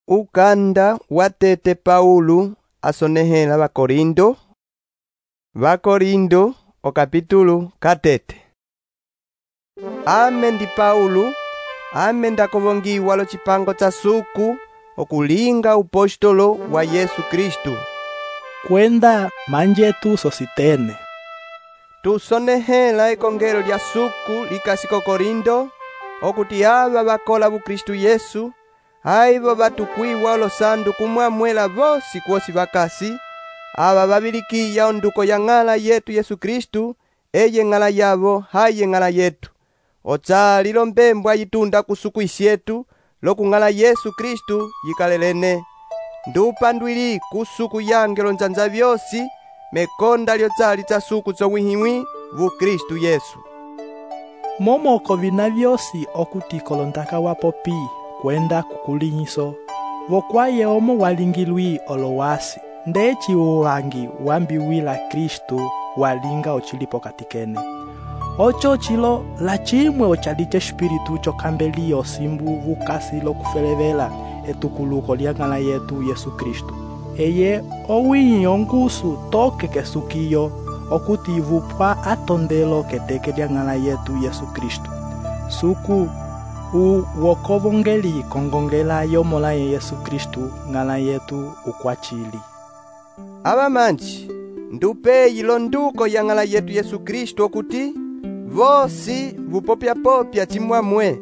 Ukanda watete Paulo asonehela Vakorindo okapitulo katete. Ame ndi Paulo, ame ndakovongiwa lo chipango cha suku okulinga upostolo wa Yesu Kristu. Kwenda manje tu Sositene. Tusonehela ekongelo lya suku likasiko Korindo, okuti ava vakola bu Kristu Yesu, aivo vatukwiwa olosandu kumwamwela vosi kwosi vakasi, ava vabilikiya onduko ya ng'ala yetu Yesu Kristu, eye ng'ala yavo haye ng'ala yetu. Otsali lombembwa yitunda kusuku isyetu, loku ng'ala Yesu Kristu yikalelene. Ndupandwili kusuku yange lonzanza vyosi, mekonda lyotsali tsa suku tsowihimwi vu Kristu Yesu. Momoko vina vyosi okuti kolondaka wapopi kwenda kukulinyiso, vokwaye omo walingilwi olowasi, ndeci uwangi wambiwila Kristu walinga ochilipo katikene. Ocho chilo la chimwe ochalite espiritu chokambeli osimbu vukasi lokufelevela etukuluko lya ng'ala yetu Yesu Kristu. Eye owinyi ongusu toke kesukiyo okuti vupwa atondelo keteke lya ng'ala yetu Yesu Kristu. Suku wokovongeli kongongela yomola ye Yesu Kristu ng'ala yetu ukwachili. Ava manji ndupeyi londuko ya ng'ala yetu Yesu Kristu okuti vosi vupopya-popya chimwamwe,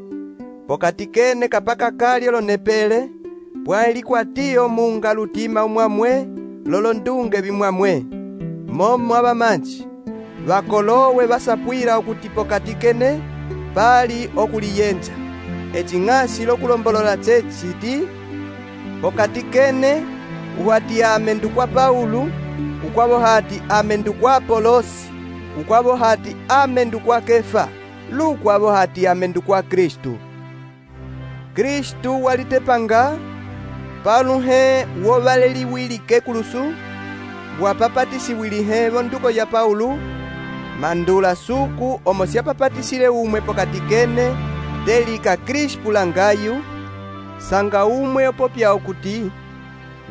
pokatikene kapaka kali olonepele, pwailikwatiyo munga lutima umwamwe, lolondunge vimwamwe. Momo ava manji vakolowe vasapwila okuti pokatikene pali okuliyenja. Eching'asi lokulombolola chechiti pokatikene uhati ame ndukwa Paulo, ukwavo hati ame ndukwa Apolosi, ukwavo hati ame ndukwa Kefa, lukwavo hati ame ndukwa Kristu. Kristu walitepanga paluhe wovaleliwili kekulusu, wapapatisiwilihe vonduko ya Paulo, mandula suku omo syapapatisile umwe pokatikene delika Krispu langayu, sanga umwe opopya okuti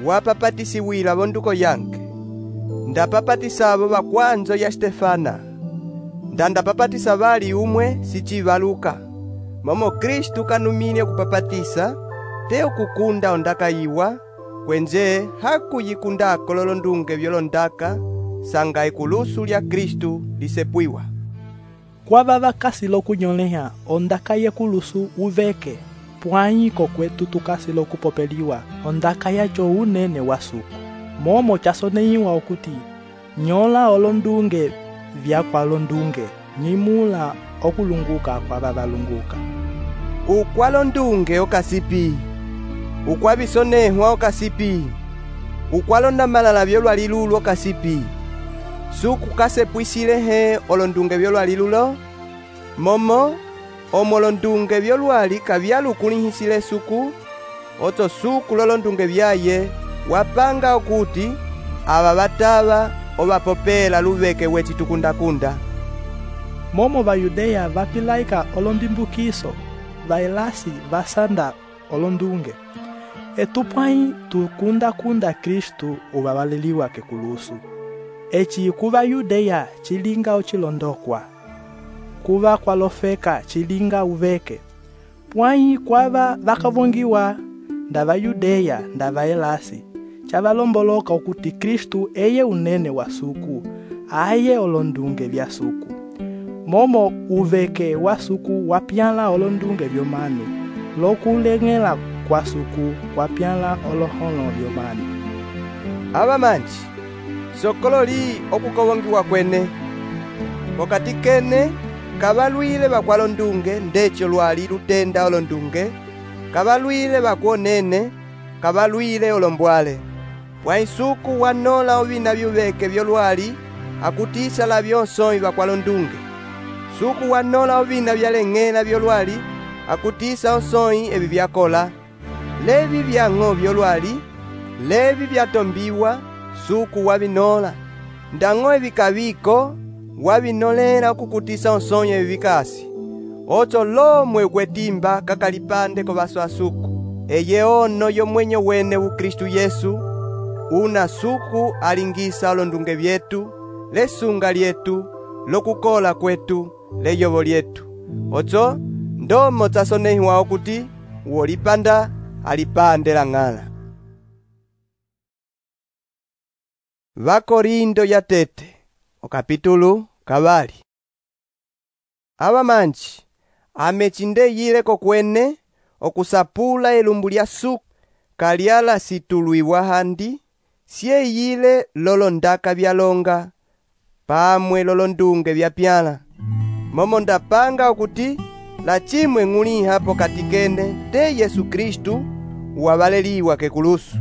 wapapatisiwila vonduko yange. Ndapapatisavo vakwanzo ya Stefana, ndandapapatisa vali umwe sichivaluka. Momo Kristu kanumile kupapatisa, teo kukunda ondakayiwa, kwenje hakuyikundako lolondunge vyolondaka, sanga ikulusu lya Kristu lisepwiwa. Kwava vakasi lokunyoleha ondaka ye kulusu uveke, pwanyi kokwetu tukasi lokupopeliwa ondaka yacho unene wa suku. Momo chasoneyiwa okuti nyola olondunge vyakwa londunge, nyimula okulunguka kwa vavalunguka. Ukwalondunge okasipi, ukwabisonehwa okasipi, ukwalonda malala vyolwalilulo okasipi. Suku kasepwisilehe olondunge vyolwalilulo, momo omolondunge vyolwali kavyalukulihisile suku, oto suku lolondunge vyaye wapanga okuti ava vatava ovapopela luveke wechitukundakunda. Momo Vayudeya vapilaika olondimbukiso, vaelasi vasanda olondunge. Etupwai tukundakunda Kristu uvavaleliwa kekulusu. Echi kuva Yudeya chilinga ochilondokwa, kuva kwalofeka chilinga uveke. Pwai kwava vakavongiwa ndava Yudeya ndava elasi, chavalomboloka okuti Kristu eye unene wa suku, aye olondunge vya suku. Momo uveke wa suku wapyala olondunge vyomanu, lokulengela kwa suku wapyala oloholo vyomanu. Ava manji sokololi okukovongiwa kwene, pokatikene kavalwile vakwalondunge ndecho lwali lutenda olondunge, kavalwile vakwonene, kavalwile olombwale. Pwaisuku wanola ovina vyuveke vyolwali akutisa la vyonsoi vakwalondunge. Suku wanola ovina vyaleng'ela vyolwali akutisa osoi evi vyakola. Levi vyang'o vyolwali, levi vyatombiwa, suku wavinola. Ndang'o evi kaviko, wavinolela okukutisa osonye evi vikasi. Ocho lomwe kwetimba kakalipande kovaso asuku. eye ono yo mwenyo wene u Kristu Yesu, una suku alingisa olondunge vyetu, lesunga lyetu, lokukola kwetu, leyovo lyetu. Ocho, ndomo tsasonehiwa okuti, uolipanda, alipande la ng'ala. Vakorindo ya tete, okapitulu kavali. Ava manji, amechindeyile kokwene, okusapula elumbu lya suku, kalyala situlwiwa handi, sieyile lolondaka vyalonga, pamwe lolondunge vyapyala. Momo ndapanga okuti, la chimwe ng'uliha pokati kene te Yesu Kristu, uwavaleliwa kekulusu.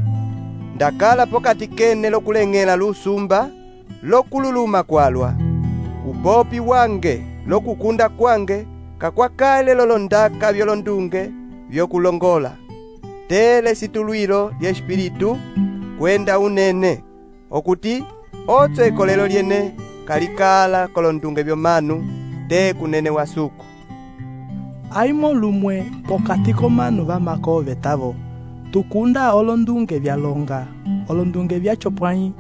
Ndakala pokati kene lokuleng'ela lusumba, lokululuma kwalwa. Upopi wange, lokukunda kwange, kakwakale lolondaka vyolondunge, vyokulongola. Tele situlwilo lya espiritu, kwenda unene, okuti, otso ekolelo lyene, kalikala kolondunge vyomanu, te kunene wa suku. Aimo lumwe pokati komanu vamako vetavo, tukunda olondunge vyalonga, olondunge vyachopwanyi,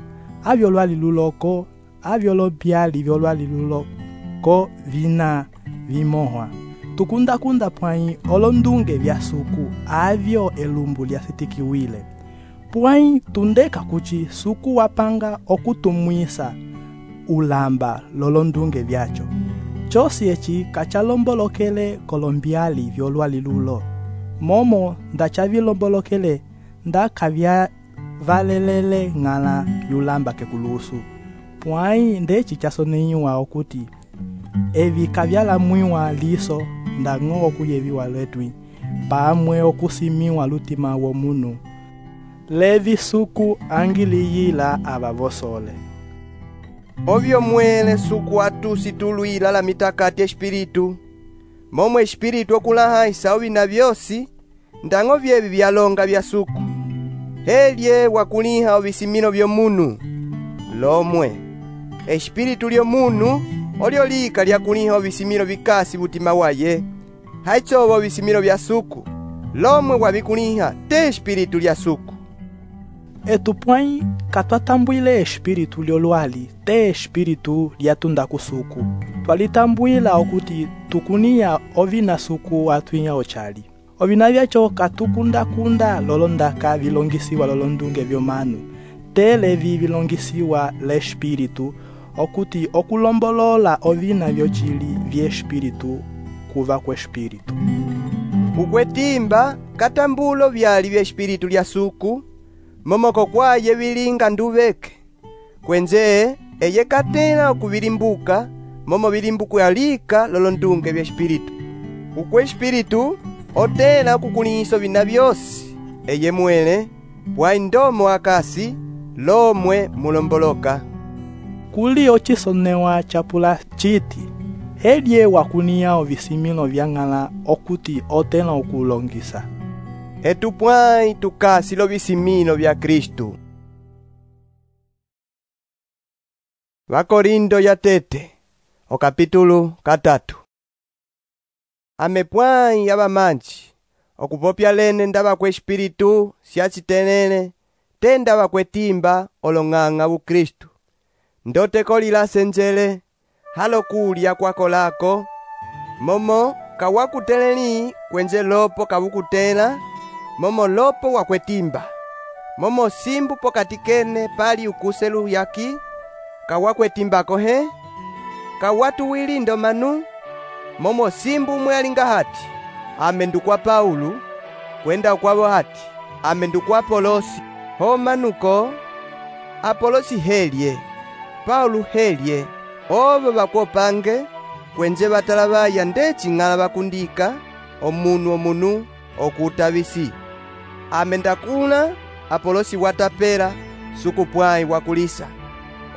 avyolwali luloko, avyolombyali vyolwali luloko vina vimohwa. Tukunda pwanyi olondunge vya suku, avyo elumbu lyasitikiwile. Pwanyi tundeka kuchi suku wapanga okutumwisa ulamba lolondunge vyacho. Chosi echi kachalombolokele kolombyali vyolwali lulo. Momo ndachavilombolokele ndakavya valelele ng'ala yulamba kekulusu. Pwanyi ndechi chasoneyiwa okuti, evi kavyalamwiwa liso ndang'o okuyeviwa letwi, pamwe okusimiwa lutima womunu. Levi suku angiliyila avavosole. Ovyo mwele suku atusitulwila la mitakati espiritu, momo espiritu okulaha isauvi na vyosi, ndang'o vyevi vyalonga vya suku. Helye wakuliha ovisimino vyomunu, lomwe. Espiritu lyomunu, olyo lika lyakuliha ovisimino vikasi butima waye, haichovo ovisimino vya suku, lomwe wavikuliha te espiritu lya suku. Etupwanyi katwatambwile espiritu lyolwali te espiritu lyatunda kusuku. Twalitambwila okuti tukuniya ovina suku atwinya ochali. Ovina vyacho katukunda lolondaka vilongisiwa lolondunge vyomanu, tele vilongisiwa le espiritu, okuti okulombolola ovina vyochili vye espiritu kuva kwa espiritu. Ukwetimba katambulo vyali vya espiritu lya suku, momoko kwaye vilinga nduveke. Kwenze eye katela okuvilimbuka, momo vilimbuku yalika lolondunge vya espiritu. Ukwe espiritu otela okukuliso vina vyosi, eye mwele, pwa ndomo akasi, lomwe mulomboloka. Kuli ochisonewa chapula chiti, helye wakuniya ovisimino vya ng'ala okuti otela okulongisa. Etupwanyi tukasi lovisimino vya Kristu. Vakorindo ya tete, okapitulu katatu. Amepwanyi avamanji, okupopya lene ndava kwe espiritu siachitenene, te ndava kwe timba olong'ang'a bu Kristu. Ndote kolila senjele, halo kulya kwako lako, momo kawakuteleli kwenje lopo kawukutela, momo lopo wakwetimba. Momo simbu pokati kene pali ukuselu yaki, kawakwetimbako he, kawatuwili ndomanu, momo simbu mwealinga hati, amendukwa Paulu, kwenda ukwavo hati, amendukwa Apolosi, ho manuko, Apolosi helye, Paulu helye, ovo bakwopange, kwenje batalabaya ndeci ng'ala bakundika, omunu okutavisi. Amendakula, Apolosi watapela, sukupwanyi wakulisa.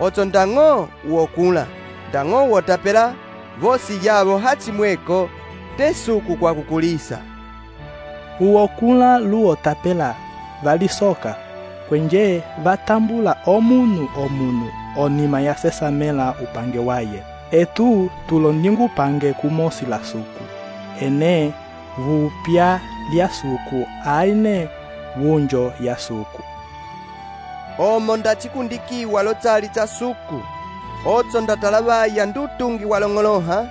Ocho ndang'o uokula, ndang'o wotapela, vosi yavo hachimweko, te suku kwa kukulisa. Uokula luotapela, valisoka, kwenje vatambula omunu, onima ya sesamela upange waye. Etu tulondingu pange kumosi la suku. Ene, vupya lya suku aine wunjo ya suku. Omo ndachikundikiwa lotsali tsa suku, otso ndatalavaya ndutungi walong'oloha,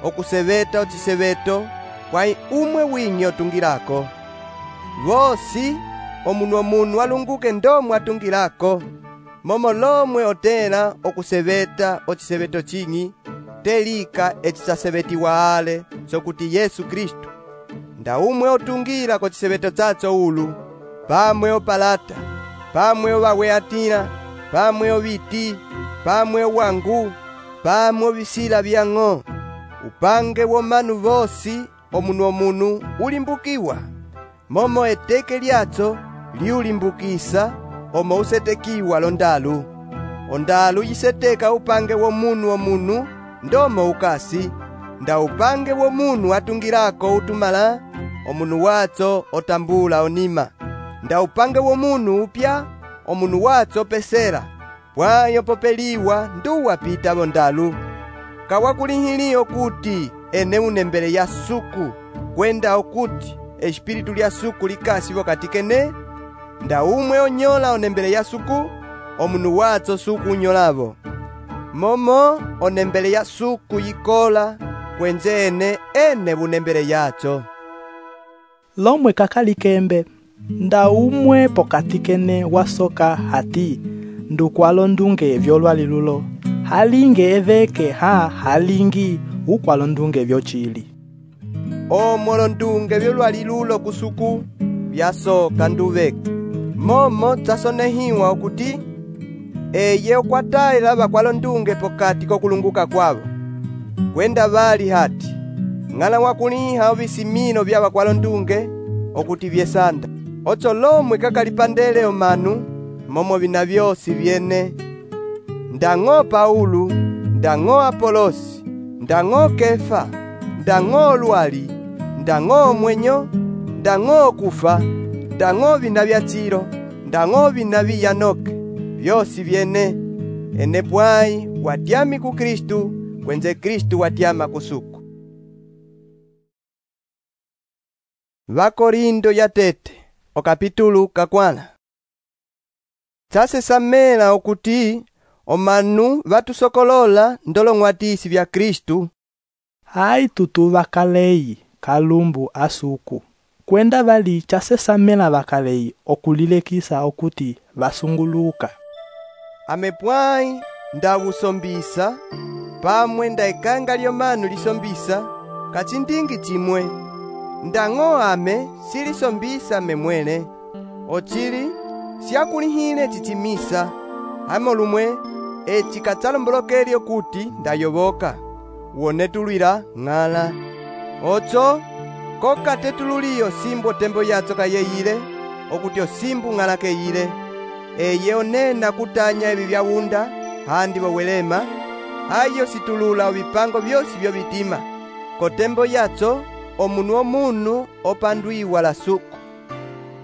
okuseveta ociseveto, kwai umwe winyi otungilako. Vosi, omunu alunguke ndomwe atungilako, momo lomwe otela okuseveta ociseveto chinyi, telika ecisasevetiwa ale, sokuti Yesu Kristu. Nda umwe otungila kociseveto tsatso ulu, pamwe opalata, pamwe owaweatila, pamwe oviti, pamwe owangu, pamwe ovisila vyang'o. Upange womanu vosi omunu ulimbukiwa, momo eteke lyatso liulimbukisa omo usetekiwa londalu. Ondalu yiseteka upange womunu ndomo ukasi, nda upange womunu atungilako utumala, omunu watso otambula onima. Nda upange womunu upya, omunu watso pesera, pwayo popeliwa nduwa pita bondalu. Kawakulihili okuti ene unembele ya suku, kwenda okuti espiritu lya suku likasi wakati kene, nda umwe onyola onembele ya suku, omunu watso suku unyolavo. Momo onembele ya suku yikola, kwenze ene unembele yatso. Lomwe kakalikembe, nda umwe pokati kene wasoka hati, ndukwalo ndunge vyolwali lulo, halinge eveke halingi ukwalo ndunge vyochili. Omolo ndunge vyolwali lulo kusuku, vyasoka nduveke. Momo tsasonehiwa okuti, eye okwatayila bakwalo ndunge pokati kokulunguka kwabo. Kwenda bali hati, ng'ala wakuliha ovisimino vya bakwalo ndunge, okuti vyesanda. Otso lomwe kakalipandele omanu, momo vina vyosi vyene. Ndang'o Paulu, ndang'o Apolosi, ndang'o Kefa, ndang'o lwali, ndang'o mwenyo, ndang'o kufa, ndang'o vina vya tsiro, ndang'o vina viyanoke, vyosi vyene. Ene pwai watyami ku Kristu, kwenze Kristu watyama kusuku. Vakorindo yatete, okapitulu kakwala. Tsasesamela okuti omanu vatusokolola ndolong'watisi vya Kristu. Hai tutu vakaleyi kalumbu asuku, kwenda vali chasesamela vakaleyi okulilekisa okuti vasunguluka. Amepwai ndawusombisa, pamwe ndaikanga lyomanu lisombisa, kachindingi chimwe. Ndang'o ame silisombisa memwele, ochili siakulihile chichimisa, hamo lumwe eci katsalombolokelyo kuti ndayoboka, wone tulwila ng'ala. Ocho, koka tetululiyo simbo tembo yatso kayeyile, okuti osimbu ng'ala keyile. Eye onena kutanya ebi byawunda, handi wawelema, ayo situlula obipango byosi byo bitima. Kotembo yatso, omunu opandwiwa la suku.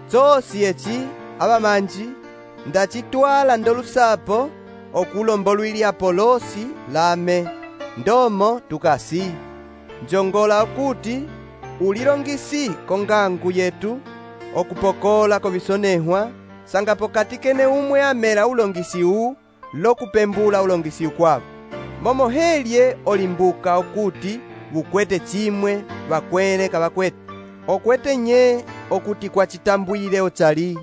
Tsosi eci, abamanji, ndachitwala ndolusapo, okulombolwili Apolosi lame, ndomo tukasi. Njongola okuti, ulilongisi kongangu yetu, okupokola kobisonehwa, sanga pokati kene umwe amela ulongisi lokupembula ulongisi ukwabo. Momo helye olimbuka okuti, bukwete chimwe, bakwele kabakwete. Okwete nye, okuti kwa chitambwile otsali.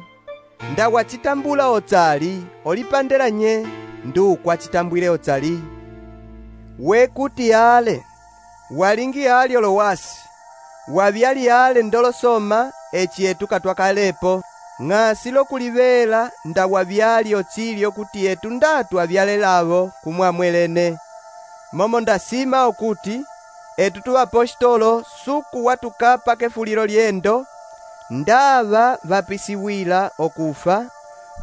Nda wachitambula otsali, olipandela nye, ndu kwa chitambwile otsali. Wekuti ale, walingi ali olowasi, wabyali ale ndolosoma, echietu katwakalepo, ng'asilo kulivela nda wabyali otsili okuti etu ndatu abyalelavo kumwamwelene. Momo ndasima okuti, etu tu apostolo suku watukapa kefulilo lyendo, ndava vapisiwila okufa,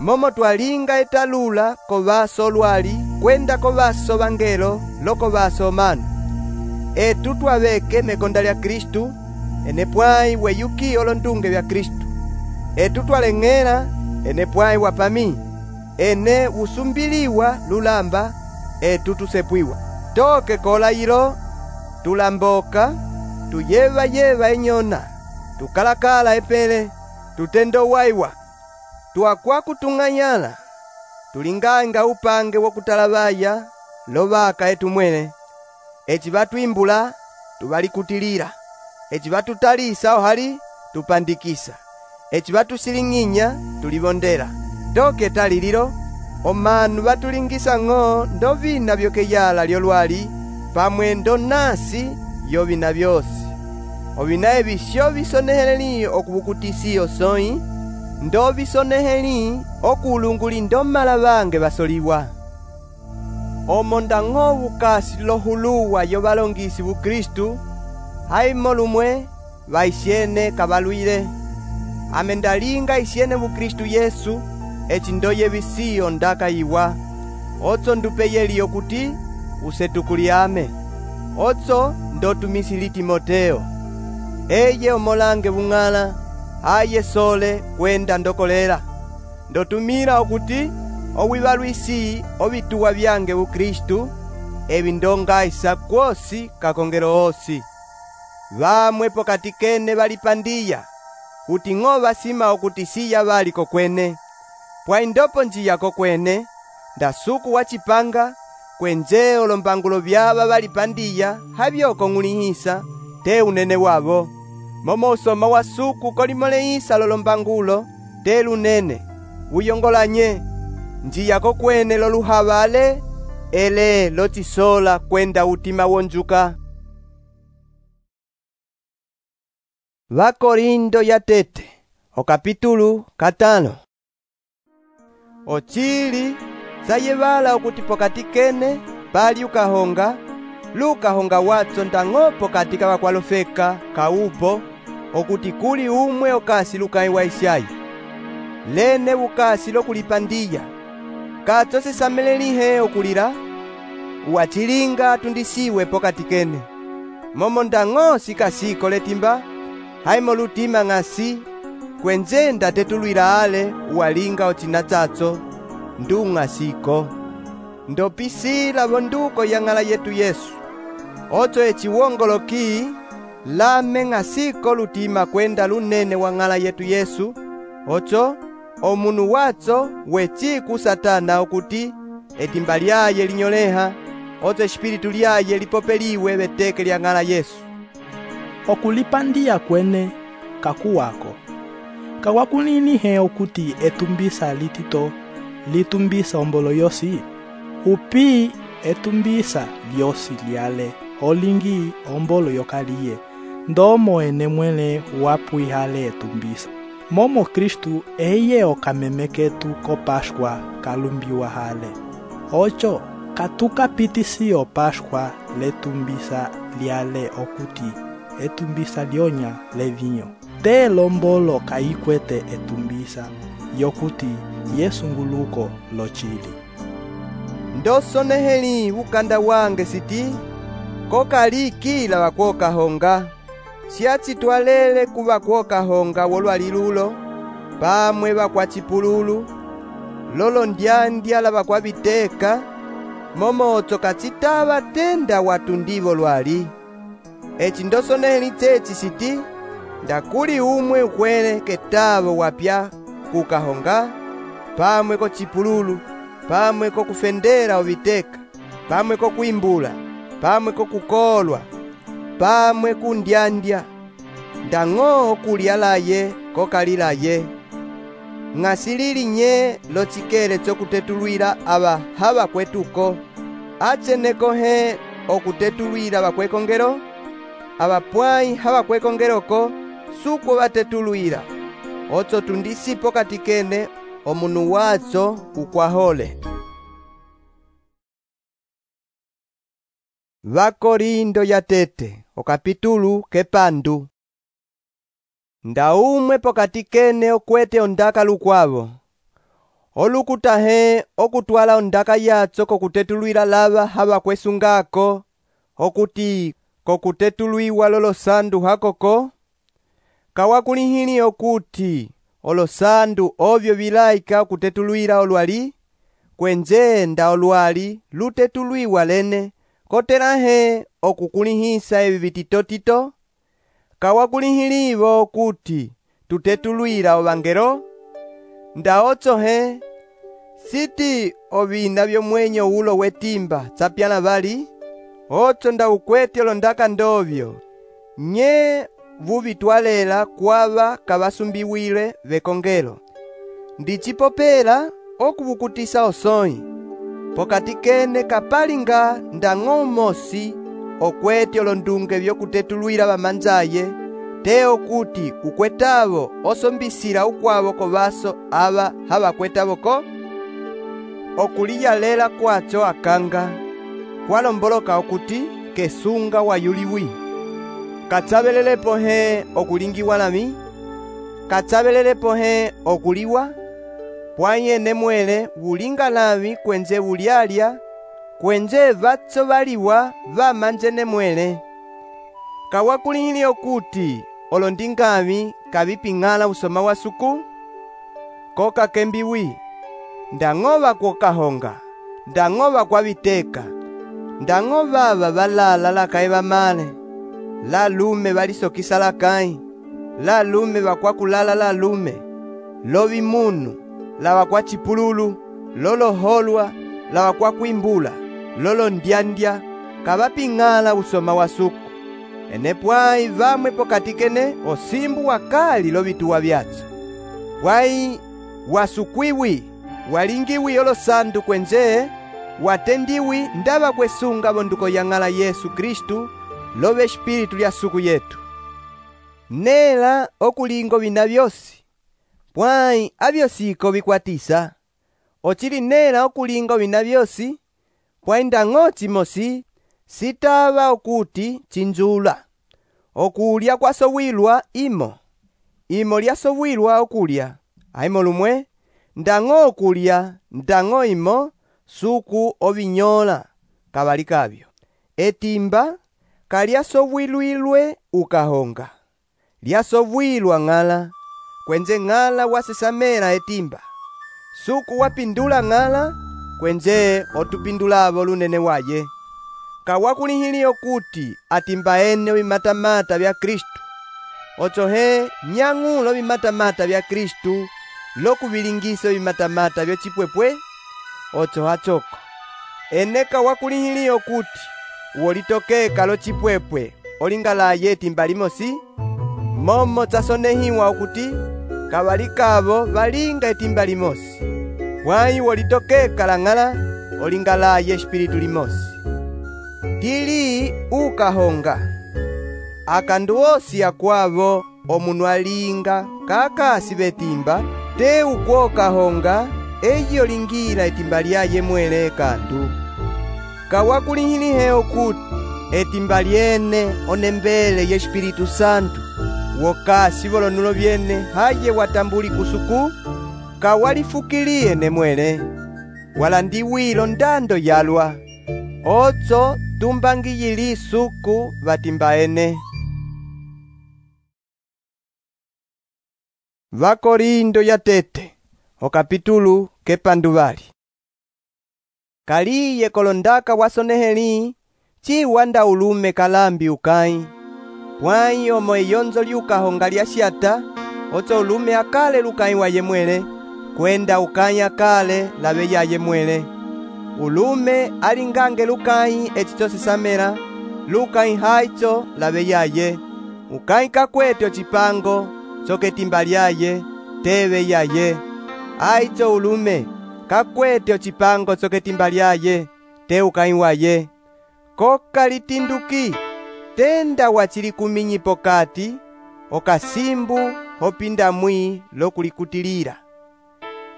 momo twalinga etalula kovaso lwali, kwenda kovaso vangelo lokovaso omanu. Etu twaveke mekonda lya Kristu, ene pwai weyuki olondunge vya Kristu. Etu twaleng'ela, ene pwai wapami, ene usumbiliwa lulamba, etu tusepwiwa. Toke kola ilo, tulamboka, tuyeva enyona, tukalakala epele, tutendo waiwa, tuakwa kutung'anyala, tulinganga upange wokutalabaya, lovaka etumwele, eci batwimbula, tubalikutilila, eci batutalisa ohali, tupandikisa, eci batusiling'inya, tulibondela, toke talililo, omanu batulingisa ng'o, ndo vina byokeyala lyolwali, pamwe nasi yo vina byosi. Ovina ebisyo bisoneheli okubukutisi osoi, ndo bisoneheli okulunguli ndo malabange basoliwa. Omo ndang'o bukasi lohuluwa yo balongisi bu Kristu, haimo lumwe baisyene kabalwile. Amendalinga isyene bu Kristu Yesu, eci ndoye bisiyo ndakayiwa. Otso ndupeyeli okuti usetukuliame. Otso ndotumisili Timoteo. Eye omolange bung'ala, aye sole kwenda ndokolela. Ndotumila okuti owibalwisi obituwa byange bu Kristu, ebi ndongaisa kwosi kakongelo osi. Bamwe pokati kene balipandiya, kuti ng'o basima okuti siya bali kokwene. Pwa indopo njiya kokwene, ndasuku wachipanga, kwenje olombangulo byaba balipandiya, habyoko ng'ulihisa, te unene wabo. Momo usoma wa suku kolimolehisa lolombangulo, te lunene, uyongolanye, njiya kokwene loluhabale, ele lotisola kwenda utima wonjuka. Vakorindo ya tete, okapitulu 5. Ochili sayebala okuti pokati kene pali ukahonga, lukahonga watso ndang'o pokati kabakwalofeka kaupo, okuti kuli umwe okasi lukai wa isyayi. Lene bukasi lokulipandiya, katso sisamelelihe okulira, uwachilinga tundisiwe pokati kene. Momo ndang'o sikasiko letimba, haimo lutima ng'asi, kwenje ndatetulwila ale uwalinga ochinatsatso, ndung'asiko. Ndopisila bonduko ya ng'ala yetu Yesu. Otso echiwongoloki, lame ng'asiko lutima kwenda lunene wa ng'ala yetu Yesu. Otso, omunu watso wechiku Satana okuti, etimba lyaye linyoleha, otso espiritu lyaye lipopeliwe beteke lya ng'ala Yesu. Okulipandiya kwene kakuwako, kawakuninihe okuti etumbisa litito, litumbisa ombolo yosi, upi etumbisa lyosi lyale, olingi ombolo yokaliye, ndomo ene mwele wapwihale etumbisa. Momo Kristu eye okamemeketu ko Pashkwa kalumbiwa hale. Ocho, katukapitisi o Pashkwa letumbisa lyale okuti, etumbisa lyonya levinyo. Te lombolo kaikwete etumbisa, yokuti Yesu nguluko lochili. Ndosoneheli ukanda wange siti, kokali kila wakwokahonga, siatsi twalele kuba kwokahonga wolwalilulo, pamwe bakwachipululu, lolo ndyandya la bakwabiteka, momotso katsitaba tenda watundivo lwali. Eci ndosoneheli tsechi siti, ndakuli umwe ukwele ketabo wapya kukahonga, pamwe ko chipululu, pamwe ko kufendera obiteka, pamwe ko kuimbula, pamwe ko kukolwa, pamwe kundyandya, ndang'o kulyalaye kokalilaye. Ng'asilili nye lochikele chokutetulwila aba haba kwetuko, acheneko he okutetulwila bakwekongelo, abapwai haba kwekongeloko, suko batetulwila, otso tundisipo katikene, omunu watso ukwahole. Vakorindo ya tete, okapitulu kepandu. Ndaumwe pokati kene okwete ondaka lukwavo. Olukutahe okutwala ondaka yatso kokutetulwila lava haba kwesungako, okuti kokutetulwiwa lolosandu hakoko. Kawakulihili okuti olosandu ovyo vilaika kutetulwila olwali, kwenje nda olwali lutetulwiwa lene, kotelahe okukulihisa ebi bititotito, kawakulihilivo kuti tutetulwira ovangelo? Ndaotso he, siti ovina vyomwenyo ulo wetimba tsapyana vali? Otso ndaukwete olondaka ndovyo, nye vuvitwalela kwava kavasumbiwile vekongelo. Ndicipopela okuvukutisa osoi, pokati kene kapalinga ndang'o mosi okwete olondunge vyokutetulwira vamanzaye, te okuti ukwetavo osombisila ukwavo kovaso ava havakwetavoko? Okuliyalela kwacho akanga kwalomboloka okuti kesunga wayuliwi. Katsabelelepo he okulingiwa nami? Katsabelelepo he okuliwa? Pwanyene mwele wulinga nami kwenze wulyalya, kwenze vatso valiwa vamanjene mwele. Kawakulihili okuti olondingami kaviping'ala usoma wa suku? Koka kembiwi, ndang'ova kwokahonga, ndang'ova kwaviteka, ndang'ova valala lakaye vamale, lalume valisokisa lakaye, lalume vakwakulala lalume, lovimunu, lavakwachipululu, loloholwa, lavakwakuimbula, lolondyandya, kavaping'ala usoma wa suku. Enepwai vamwe pokati kene osimbu wakali lovituwa vyatso. Pwai wasukwiwi, walingiwi olosandu kwenze, watendiwi ndava kwesunga vonduko yang'ala Yesu Kristu, love espiritu lya suku yetu. Nela okulingo vina vyosi, pwai avyosiko vikwatisa. Ochili nela okulingo vina vyosi, pwai ndang'o chimosi, sitava okuti chinjula. Okulya kwasowilwa imo lyasowilwa okulya, aimo lumwe, ndang'o okulya, ndang'o imo, suku ovinyola, kavali kavyo. Etimba, kalyasowilwilwe ukahonga, lyasowilwa ng'ala, kwenze ng'ala wasesamela etimba. Suku wapindula ng'ala, kwenze otupindulavo lunene waye. Kawakulihili okuti atimba ene vimatamata vya Kristu. Otso he nyang'ulo vimatamata vya Kristu, lokuvilingisa vimatamata vyo chipwepwe. Otso hachoko, ene kawakulihili okuti uolitokeka lo chipwepwe olingalaye etimba limosi, momo tsasonehiwa okuti kavali kavo valinga etimba limosi. Pwai uolitokeka lang'ala olingalaye espiritu limosi. Tili ukahonga, akandu osi akwavo omunu alinga kakasi betimba, te ukwokahonga eyi olingira etimba lyaye mwele kandu. Kawakulihili he okuti etimba lyene onembele ye Espiritu Santu, wokasi volonulo vyene haye watambuli kusuku, kawalifukilie ne mwele, walandiwilo ndando yalwa, otso tumbangiyili suku vatimba ene. Vakorindo yatete, okapitulu kepanduvali. Kaliye kolondaka wasoneheli, chiwanda ulume kalambi ukai. Pwai omo eyonzo liukahonga lyasyata, otso ulume akale lukai waye mwele, kwenda ukai akale lave yaye mwele. Ulume alingange lukai echito sesamela, lukai haitso lave yaye. Ukai kakwete ochipango, choketimba lyaye, teve yaye. Aitso ulume kakwete ochipango choketimba lyaye, te ukai waye. Koka litinduki, tenda wachili kuminyi pokati, okasimbu hopinda mwi lokulikutilira.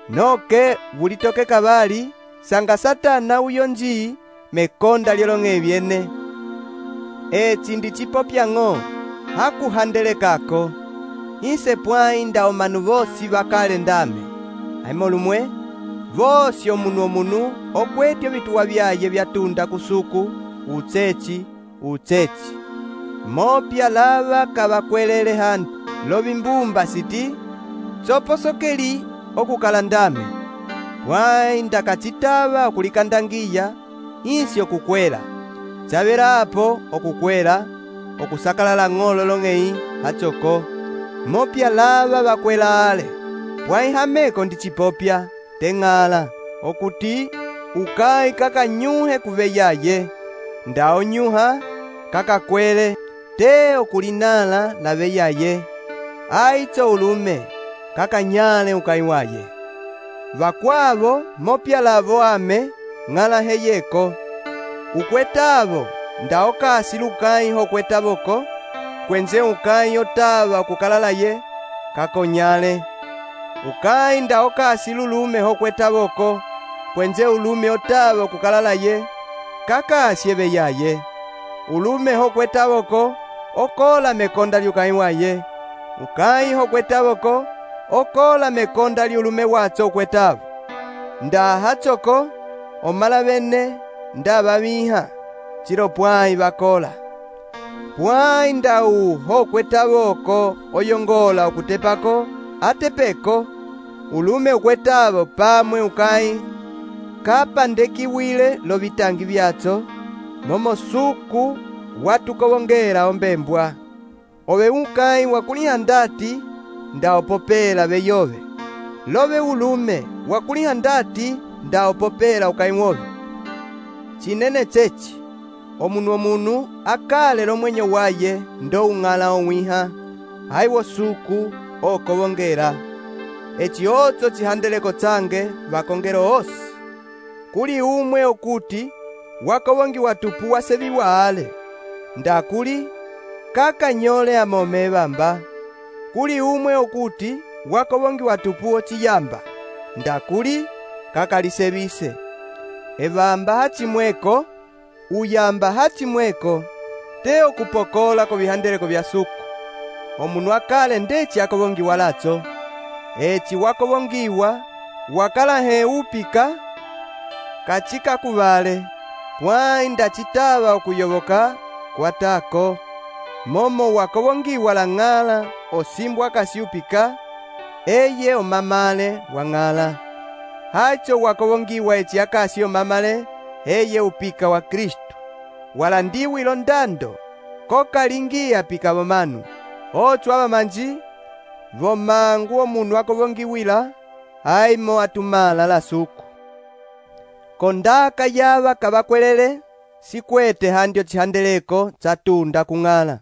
Noke vulitoke kavali, sanga Satana uyonji mekonda lyolong'e vyene. Echi ndichipopya ng'o, hakuhandelekako. Ise pwai nda omanu vosi vakale ndame. Aimo lumwe, vosi omunu okwetyo vituwa vyaye vyatunda kusuku, utsechi. Mopya lava kavakwelele hantu, lovimbumba siti, tsoposokeli okukala ndame. Pwai ndakachitava okulikandangiya, insi okukwela. Chavela apo okukwela, okusakalala ng'olo long'ei hachoko. Mopya lava vakwela ale, pwai hameko ndi chipopya teng'ala, okuti ukai kakanyuhe kuveyaye, nda onyuha kakakwele te okulinala laveyaye, aitso ulume kakanyale ukai waye. Vakwavo mopya lavo ame ng'ala heyeko, ukwetavo nda okasi lukai hokwetavoko, kwenze ukai otava okukalalaye kakonyale. Ukai nda okasi lulume hokwetavoko, kwenze ulume otava okukalalaye kakasye veyaye. Ulume hokwetavoko okola mekonda lyukai waye, ukai hokwetavoko okola mekonda lyulume watso ukwetavo. Nda hachoko omala bene nda babiha chilo pwai bakola. Pwai nda hokwetavoko oyongola okutepako atepeko, ulume ukwetavo pamwe ukai kapandekiwile lovitangi vyatso, momo suku watukowongela ombembwa. Ove ukai wakuliha ndati nda opopela veyove, love ulume wakuliha ndati nda opopela ukai wove. Chinene chechi omunu akale lomwenyo waye ndo ung'ala owiha, haiwo suku okowongela. Eci otso chihandeleko tsange vakongelo osi. Kuli umwe okuti wakowongiwa tupu waseviwa ale, nda kuli kakanyole amome evamba. Kuli umwe okuti wakowongiwa tupu ochiyamba, nda kuli kakalisevise. Evamba hachimweko, uyamba hachimweko, te okupokola ko vihandeleko vya suku. Omunu akale ndeci akowongiwa latso, eci wakowongiwa wakala he upika kachika kuvale, pwai ndachitava okuyoboka kwatako. Momo wakowongiwa la ng'ala osimbwa kasiupika, eye omamale wa ng'ala. Hacho wakowongiwa eci akasi omamale, eye upika wa Kristu. Walandiwi londando kokalingi apika bomanu. Ocho abamanji vomangu omunu wakowongiwila aimo atumala la suku. Kondaka yava kabakwelele sikwete handio chihandeleko chatunda kung'ala.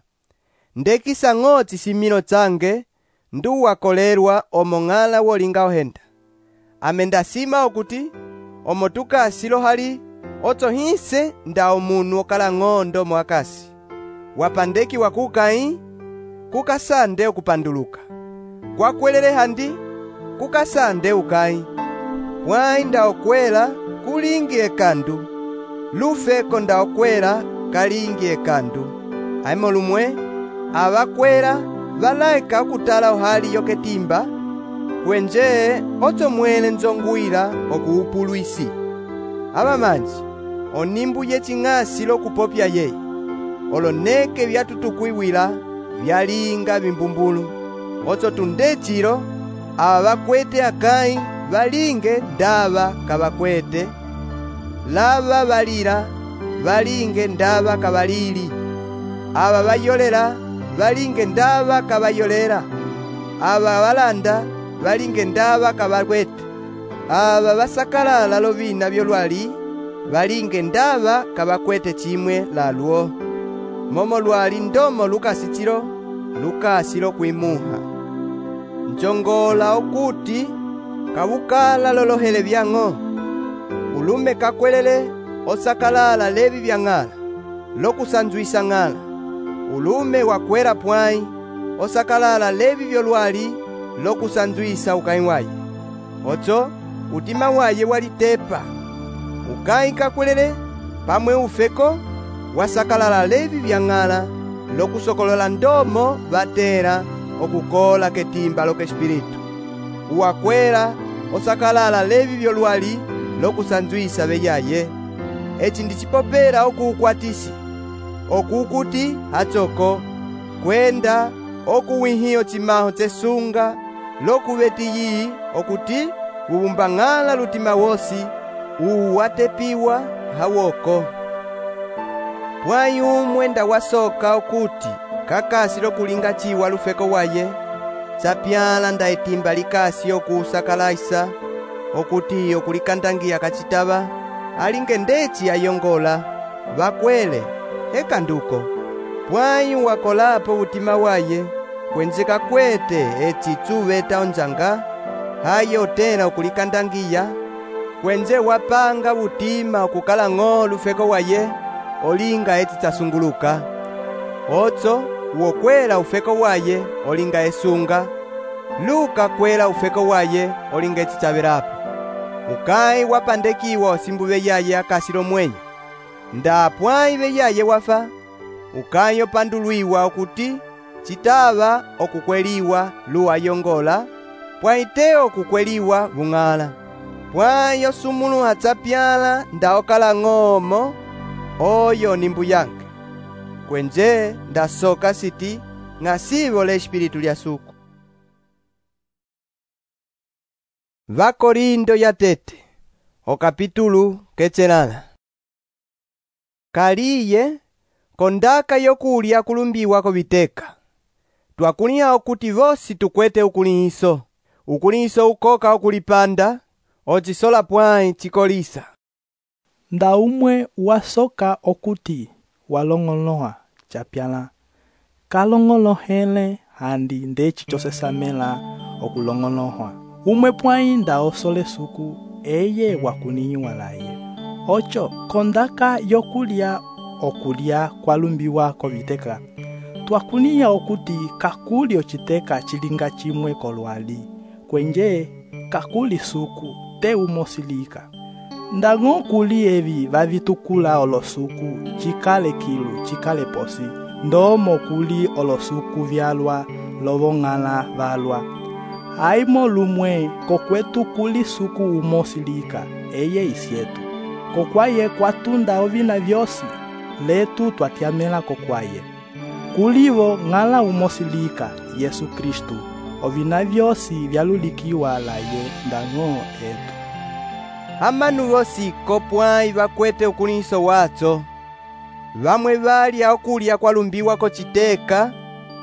Ndekisa ng'oti similo tsange ndu wakolerwa omo ng'ala wolinga ohenda. Amenda sima okuti omo tukasilo hali otso hise nda omunu okala ng'ondo mwakasi. Wapandeki wakukai kukasande okupanduluka, kwakwelele handi kukasande ukai. Pwai nda okwela kulingi ekandu, lufeko nda okwela kalingi ekandu. Aimo lumwe abakwela valaeka okutala ohali yoketimba, kwenje otso mwele nzongwila okuupuluisi. Abamanji onimbu yeching'asi lokupopya yeye, oloneke vyatutukwiwila vyalinga bimbumbulu. Otso tundechilo aba bakwete akai balinge ndaba kabakwete, lava balira balinge ndaba kabalili, aba bayolela balinge ndaba kabayolera, aba balanda balinge ndaba kabakwete, aba basakalala lovina byolwali balinge ndaba kabakwete chimwe lalwo. Momo lwali ndomo lukasichilo lukasilo kwimuha. Njongola okuti kabukala lolohele byang'o, ulume kakwelele osakalala levi vya ng'ala lokusanzwisa ng'ala. Ulume wakwera pwai osakalala levi vyolwali lokusanzwisa ukai waye. Otso utima waye walitepa, ukai kakwelele pamwe ufeko wasakalala levi vya ng'ala lokusokolola ndomo batera okukola ketimba lokespiritu. Uwakwera osakalala levi vyolwali lokusanzwisa beyaye. Eci ndichipopera okuukwatisi, okukuti hachoko kwenda okuwihiyo chimaho tsesunga lokubetiyi okuti ubumba ng'ala lutima wosi uwatepiwa hawoko. pwayi umwe nda wasoka okuti kakasi lokulinga chiwa lufeko waye, tsapyala nda etimba likasi okusakalaisa okuti okulikandangiya kacitava, alinge ndeci ayongola, vakwele, hekanduko. Pwayi wakolapo utima waye, kwenzeka kwete eci tsuveta onjanga, haye otela okulikandangiya, kwenze wapanga utima okukala ng'o lufeko waye, olinga eci tsasunguluka. Otso wokwela ufeko waye olinga esunga, luka kwela ufeko waye olinga eci tsavelapo. Ukayi wapandekiwa osimbu beyaye akasi lomwenyo, nda pwayi beyaye wafa, ukayi opandulwiwa okuti citava okukweliwa luwayongola, pwayi te okukweliwa bung'ala. Pwayi osumulu atsapyala nda okala ng'omo, oyo nimbu yange. Kwenze ndasoka siti ng'asivo l'Espiritu lya suku. Vakorindo yatete, okapitulu kecelala. Kaliye kondaka yokulya kulumbiwa koviteka, twakuliha okuti vosi tukwete ukulihiso ukoka okulipanda, ocisola pwayi cikolisa. Nda umwe wasoka okuti walong'oloha chapyala, kalong'olohele handi ndeci chosesamela okulong'oloha. Umwe pwayi nda osole suku eye wakuniyiwa laye. Ocho kondaka yokulya okulya kwalumbiwa koviteka, twakuniya okuti kakuli ociteka cilinga cimwe kolwali, kwenje kakuli suku te umosilika. Ndang'o kuli evi vavitukula olosuku cikale kilu cikale posi, ndomo kuli olosuku vyalwa lovong'ala valwa. Haimo lumwe kokwetu kuli suku umosilika eye isyetu, kokwaye kwatunda ovina vyosi letu twatyamela kokwaye. Kulivo ng'ala umosilika Yesu Kristu, ovina vyosi vyalulikiwa laye ndang'o etu. Amanu vosi kopwayi vakwete ukulihiso watso, vamwe valya okulya kwalumbiwa kociteka,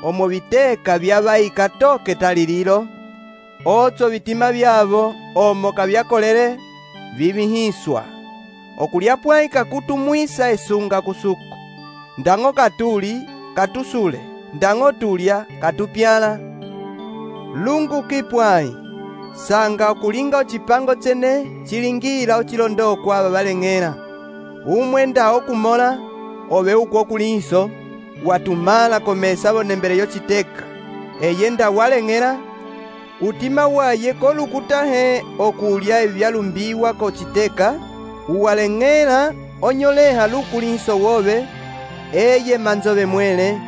omo viteka vyavayika toke talililo, otso vitima vyavo omo kavyakolele vivihiswa. Okulya pwayi kakutumwisa esunga kusuku, ndang'o katuli katusule, ndang'o tulya katupyala. Lunguki pwayi, sanga okulinga ocipango tsene cilingila ocilondokwa ava valeng'ela. Umwe nda okumola, ove uku okulihiso, watumala komesa vonembele yociteka, eye nda waleng'ela, utima waye kolukutahe okulya evi vyalumbiwa kociteka, uwaleng'ela onyoleha lukulihiso wove, eye manzove mwele,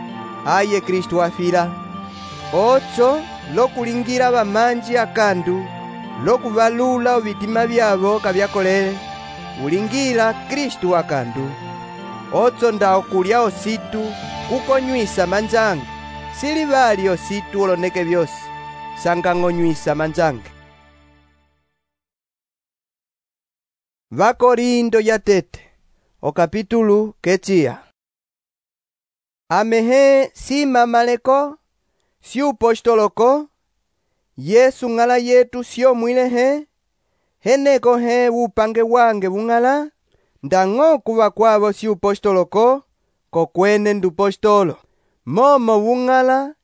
aye Kristu afila. Otso lokulingila vamanji akandu, lokuvalula ovitima vyavo kavyakolele, ulingila Kristu akandu. Otso nda okulya ositu kukonywisa manjange, silivali ositu oloneke vyosi, sanga ng'onywisa manjange. Vakorindo yatete, okapitulu keciya. Amehe si mamaleko, si upostoloko, Yesu ng'ala yetu sio mwilehe, heneko he upange wange bung'ala, ndang'o kuva kwavo si upostoloko, kokwene ndupostolo. Momo bung'ala,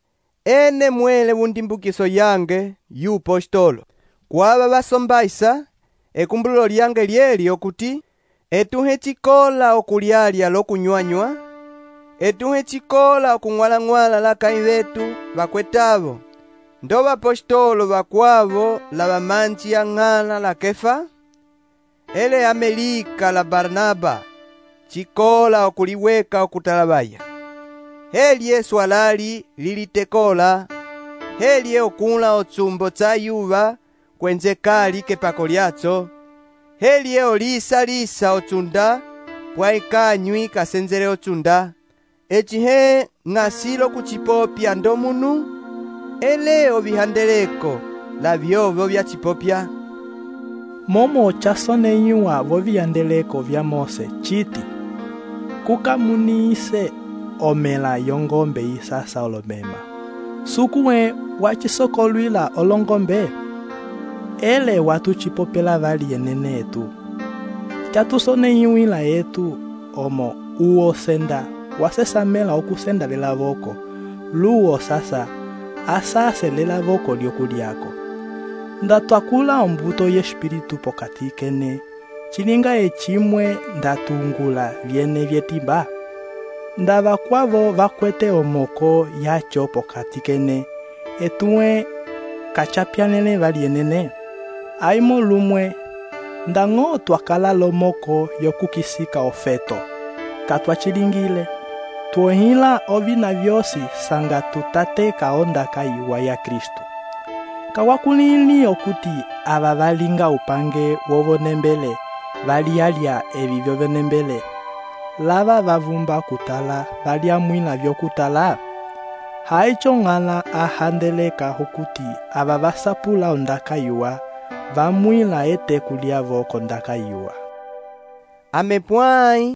ene mwele bundimbukiso yange yupostolo. Kwava vasombaisa, ekumbululo lyange lyeli okuti, etuhe cikola okulyalya lokunywanywa, etuhe cikola okung'walang'wala lakayi vetu vakwetavo, ndo vapostolo vakwavo la vamanji ang'ala la Kefa, ele Amelika la Barnaba, cikola okuliweka okutalavaya. Heli Yesu alali lilitekola, heli okula otsumbo tsa yuva kwenze kali kepako lyatso, heli olisa otsunda pwayi kanywi kasenzele otsunda, ecihe ng'asilo kucipopya ndomunu, ele ovihandeleko la vyovo vya cipopya. Momo chasoneyiwa voviyandeleko vya Mose citi, kukamuniise omela yongombe isasa olomema. Sukuwe wachisokolwila olongombe, ele watuchipopela vali yenene etu. Chatusoneiwila etu omo uo senda wasesamela okusenda lela voko, luo sasa asase lela voko lyokuliako. Ndatwakula ombuto yespiritu pokati kene, chilinga echimwe ndatungula vyene vyetimba. Ndava kwavo vakwete omoko yacho pokati kene, etuwe kachapyanele vali yenene. Aimo lumwe, ndango twakala lomoko yokukisika ofeto, katwachilingile. Tuohila ovina vyosi sanga tutate kaondaka iwa ya Kristu. Kawakulili okuti ava valinga upange wovonembele, valialia evi vyovonembele. Lava vavumba kutala, valiamwila vyokutala. Haicho ngala ahandeleka okuti ava vasapula ondaka iwa, vamwila ete kulia voko ondaka iwa. Amepwai,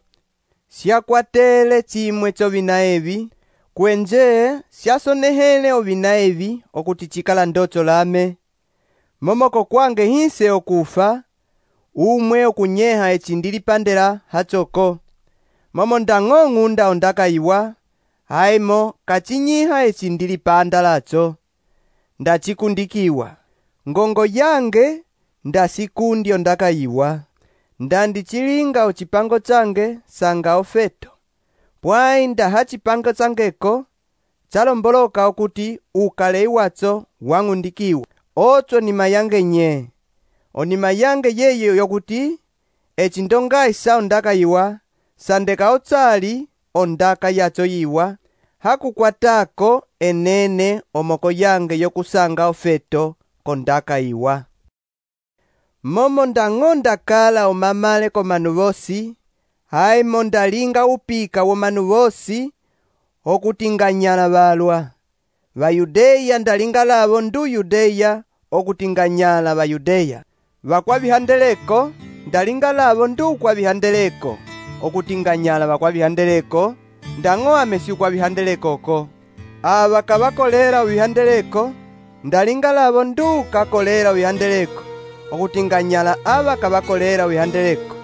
siakwatele chimwe chovina evi, kwenje siasonehele ovina evi okuti chikala ndocho lame. Momoko kwange hinse okufa, umwe okunyeha echindili pandela hachoko. Momo ndang'ong'unda ondaka iwa, haimo kachinyiha echindili panda lacho. Ndachikundikiwa, ngongo yange ndasikundi ondaka iwa. Ndandichilinga ochipango change sanga ofeto. Pwai ndaha chipango changeko, chalomboloka okuti ukale iwacho wang'undikiwa. Ocho nima yange nye. Onima yange yeyo yokuti, echindonga isa ondaka iwa, sandeka ochali ondaka yacho iwa, hakukwatako enene omoko yange yokusanga ofeto kondaka iwa. Momo ndangonda kala omamale komanu vosi, haimo ndalinga upika womanu vosi, okutinganyala balwa. Vayudeya ndalinga lavo ndu Yudeya, okutinganyala Vayudeya. Vakwavihandeleko, ndalinga lavo ndu kwavihandeleko, okutinganyala vakwavihandeleko, ndango amesi ukwavihandelekoko. Ava kavakolera uvihandeleko, ndalinga lavo ndu kakolera uvihandeleko, okutinganyala ava kavakolera uvihandeleko.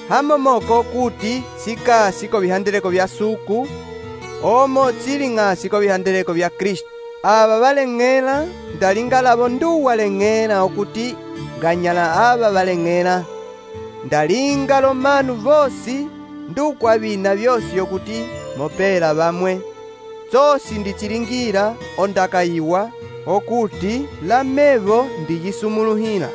Hamomoko kuti sikasi ko vihandeleko vya suku, omo chiling'asi ko vihandeleko vya Kristu. Ava valeng'ela, ndalinga lavo ndu waleng'ela okuti nganyala ava valeng'ela. Ndalinga lomanu vosi ndu kwa vina vyosi okuti mopela vamwe. Chosi ndichilingira ondaka iwa okuti lamevo ndiyisumuluhila.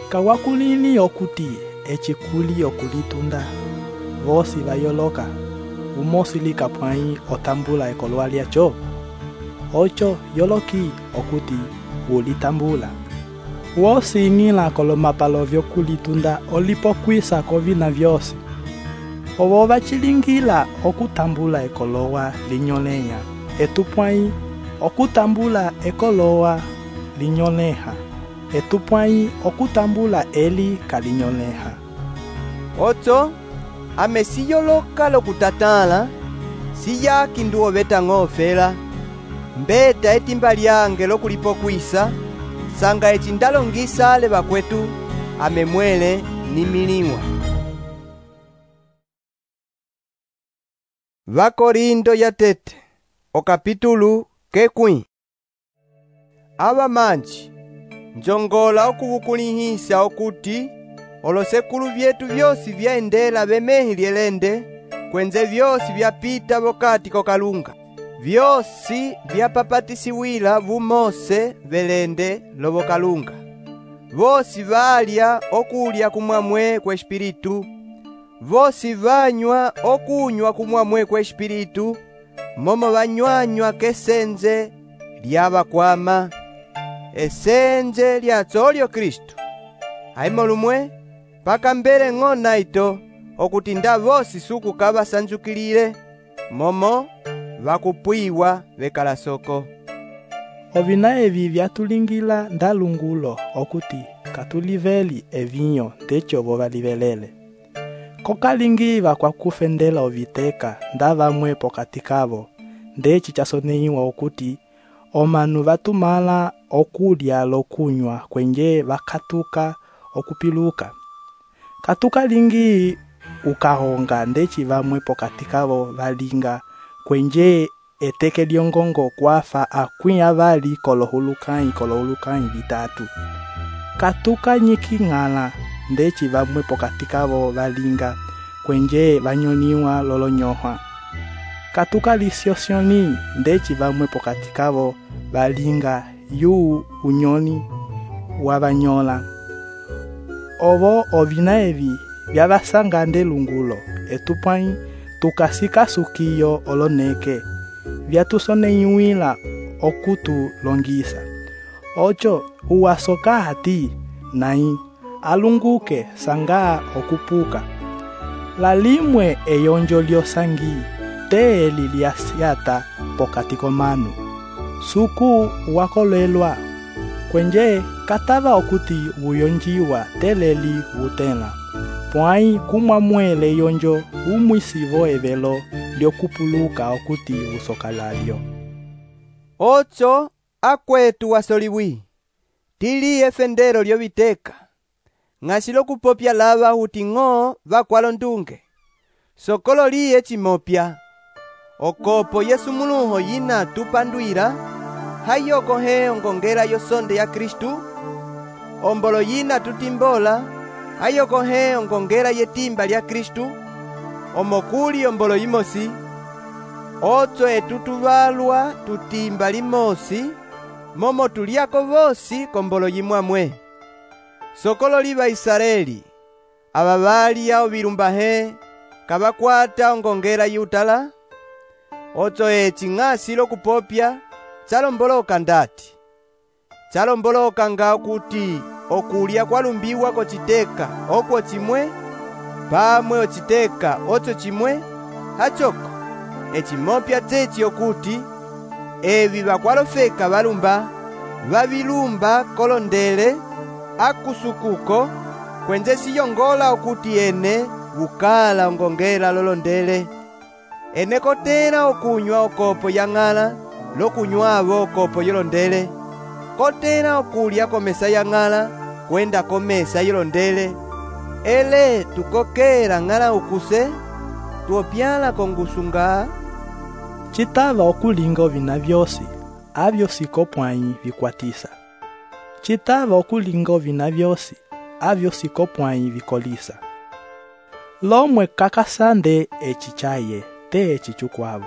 Kawakulili okuti echikuli okulitunda, vosi vayoloka, umosi likapwai otambula ekolwa lyacho. Ocho yoloki okuti ulitambula. Wosi ingila kolomapalo vyokulitunda olipokwisa kovina vyosi. Ovo vachilingila okutambula ekolowa linyolenya, etupwai okutambula ekolowa linyoleha, etupwai okutambula eli kalinyoleha. Ocho, amesiyoloka lokutatala, siyaki nduo beta ng'ofela, mbeta etimba lyange lokulipokwisa, sanga echindalongisa ale bakwetu, amemwele nimiliwa. Vakorindo yatete, okapitulu kekwi. Ava manji, njongola okuvukulihisa okuti, olosekulu vyetu vyosi vyaendela bemehi lyelende, kwenze vyosi vyapita vokati kokalunga. Vyosi vyapapatisiwila vumose velende lovokalunga. Vosi valya okulya kumwamwe kwa espiritu. Vosi vanywa okunywa kumwamwe kwa espiritu. Momo vanywanywa kesenze lyabakwama. Esenze lyatsolyo Kristu. Haimo lumwe, paka mbele ng'ona ito, okuti nda vosi suku kaba sanjukilile, momo vakupwiwa vekalasoko. Ovina evi vyatulingila ndalungulo okuti katuliveli evinyo techo vovalivelele. kokalingi vakwakufendela oviteka nda vamwe pokati kavo, ndeci chasoneyiwa okuti omanu vatumala okulya lokunywa kwenje vakatuka okupiluka. Katukalingi ukahonga ndeci vamwe pokati kavo valinga kwenje eteke lyongongo kwafa akwi avali kolohulukanyi vitatu. Katuka nyiking'ala ndeci vamwe pokati kavo valinga kwenje vanyoniwa lolonyoha. Katuka lisiosyoni ndeci vamwe pokati kavo valinga yu unyoni wavanyola. Ovo ovina evi vyavasanga ndelungulo etupwanyi tukasika sukiyo oloneke vyatusoneyiwila okutulongisa. Ocho uwasoka hati nai alunguke sanga okupuka. Lalimwe eyonjo lyosangi teeli lyasyata pokati komanu. Suku wakolelwa kwenje katava okuti uyonjiwa teleli utela. Pwai kumwamwele yonjo umwisivo evelo lyokupuluka okuti usoka lalyo. Ocho akwetu wasoliwi tili efendero lyoviteka ng'asilo kupopya lava huti ng'o vakwalo ndunge sokolo liye chimopya okopo Yesu muluho yina tupandwira hayokohe ongongela yosonde ya Kristu ombolo yina tutimbola hayokohe ongongela yetimba lya Kristu omokuli ombolo yimosi ocho etutuvalwa tutimba limosi momo tuliako vosi kombolo yimwamwe. Sokolo liva Israeli ava valya ovilumbahe kavakwata ongongela yutala ocho eci ng'asilo kupopya chalomboloka ndati chalomboloka nga okuti okulya kwalumbiwa kochiteka okwo chimwe pamwe ochiteka ocho chimwe hachoko echimopya chechi okuti evi vakwalofeka valumba vavilumba kolondele akusukuko kwenje siyongola okuti ene vukala ongongela lolondele ene kotela okunywa okopo ya ng'ala lokunywavo okopo yolondele kotela okulya komesa ya ng'ala kwenda komesa yolondele ele tukokela ng'ala ukuse tuopyala kongusunga. Chitava okulinga ovina vyosi avyo sikopwanyi vikwatisa. Chitava okulinga ovina vyosi avyo sikopwanyi vikolisa. Lomwe kakasande eci chaye te eci chukwavo.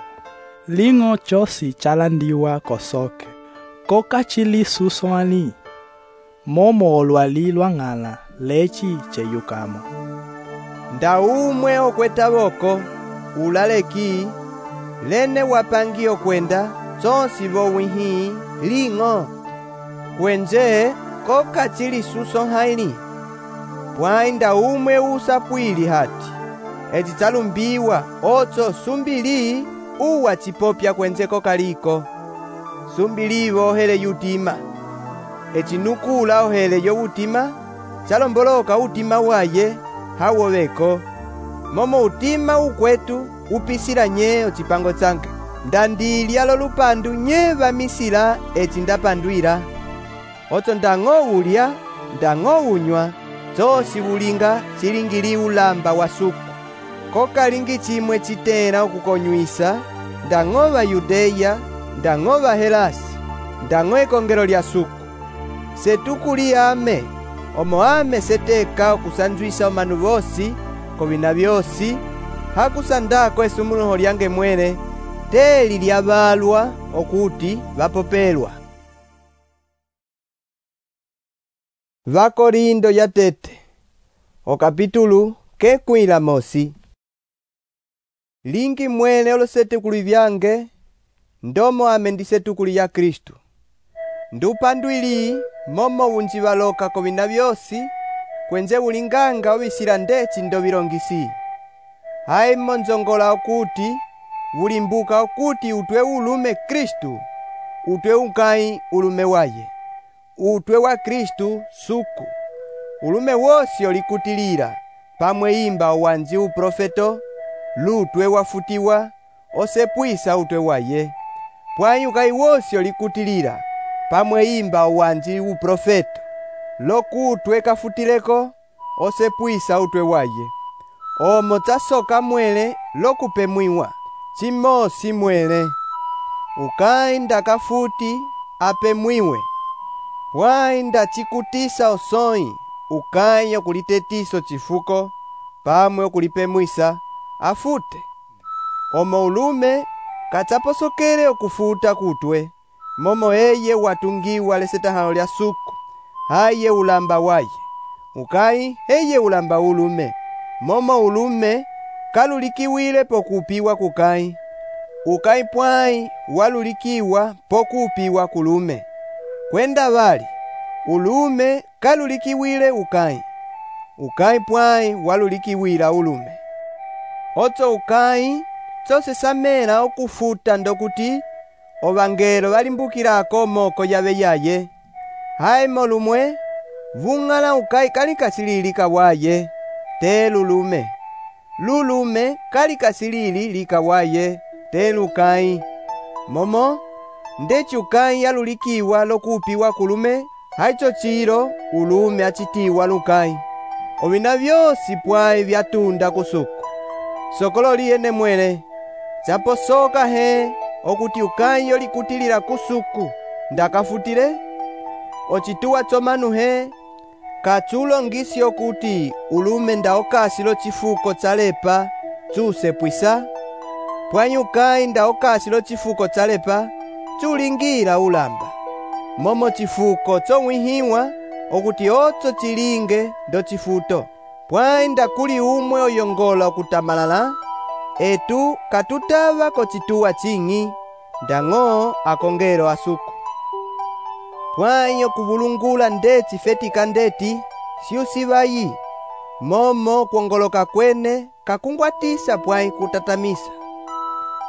Ling'o chosi chalandiwa kosoke kokachili susoani momo olwali lwa ng'ala lechi cheyukamo. Ndaumwe okweta voko ulaleki lene wapangi okwenda chonsi vowihi ling'o kwenje kokachili suso haili pwai ndaumwe usapwili hati eci chalumbiwa ocho sumbili uwa chipopya kwenje kokaliko sumbilivo ohele yutima eci nukula ohele yovutima chalomboloka utima waye hawoveko momo utima ukwetu upisila nye ocipango change ndandilya lolupandu nye vamisila eci ndapandwila ocho ndang'o ulya ndang'o unywa chosi vulinga chilingili ulamba wa suku kokalingi chimwe chitela okukonywisa ndang'o Vayudeya ndang'o Vahelasi ndang'o ekongelo lya suku setukuli ame omo ame seteka okusanzwisa omanu vosi kovina vyosi hakusandako esumuluho lyange mwene teli lyavalwa okuti vapopelwa. Vakorindo ya tete okapitulu kekwila mosi lingi mwene olosetukuli vyange ndomo ame ndisetukuli ya Kristu ndupandwili momo unjivaloka kovina vyosi kwenje ulinganga ovisila ndeci ndovilongisi haimo nzongola okuti ulimbuka okuti utwe ulume Kristu utwe unkai ulume waye utwe wa Kristu suku ulume wosi olikutilila pamwe imba owanji uprofeto, lutwe wafutiwa, osepwisa utwe waye. Pwayi ukayi wosi olikutilila, pamwe imba owanji uprofeto, lokutwe kafutileko, osepwisa utwe waye. Omo tasoka mwele lokupemwiwa, chimosi mwele. Ukayi ndakafuti apemwiwe. Pwayi ndachikutisa osoi, ukayi okulitetiso chifuko, pamwe okulipemwisa, afute. Omo ulume kachaposokele okufuta kutwe, momo eye watungiwa lesetahalo lya suku, haye ulamba waye. Ukayi heye ulamba ulume, momo ulume kalulikiwile pokupiwa kukayi. Ukayi pwayi walulikiwa pokupiwa kulume. Kwenda vali, ulume kalulikiwile ukayi. Ukayi pwayi walulikiwila ulume. Ocho ukayi chose samela okufuta ndokuti ovangelo valimbukilako moko yave yaye. Hayi molumwe, vung'ala ukayi kalikasilili kawaye, te lulume. Lulume kalikasilili likawaye, te lukayi. Momo, ndeci ukayi yalulikiwa lokupiwa kulume, haicho chilo ulume achitiwa lukayi. Ovina vyosi pwayi vyatunda kusuku. Sokolo liyene mwele, chaposoka he, okuti ukayi yolikutilila kusuku, ndakafutile? Ochituwa chomanu he, kachulo ngisi okuti ulume ndaokasilo chifuko chalepa, chusepwisa? Pwayi ukayi ndaokasilo chifuko chalepa, chulingila ulamba. Momo chifuko chomwihiwa, okuti ocho chilinge ndo chifuto. Pwayi ndakuli umwe oyongola okutamalala, etu katutava kochituwa ching'i, ndang'o akongelo asuku. Pwayi okuvulungula ndeti fetika ndeti, siusivayi, momo kuongoloka kwene kakungwatisa pwayi kutatamisa.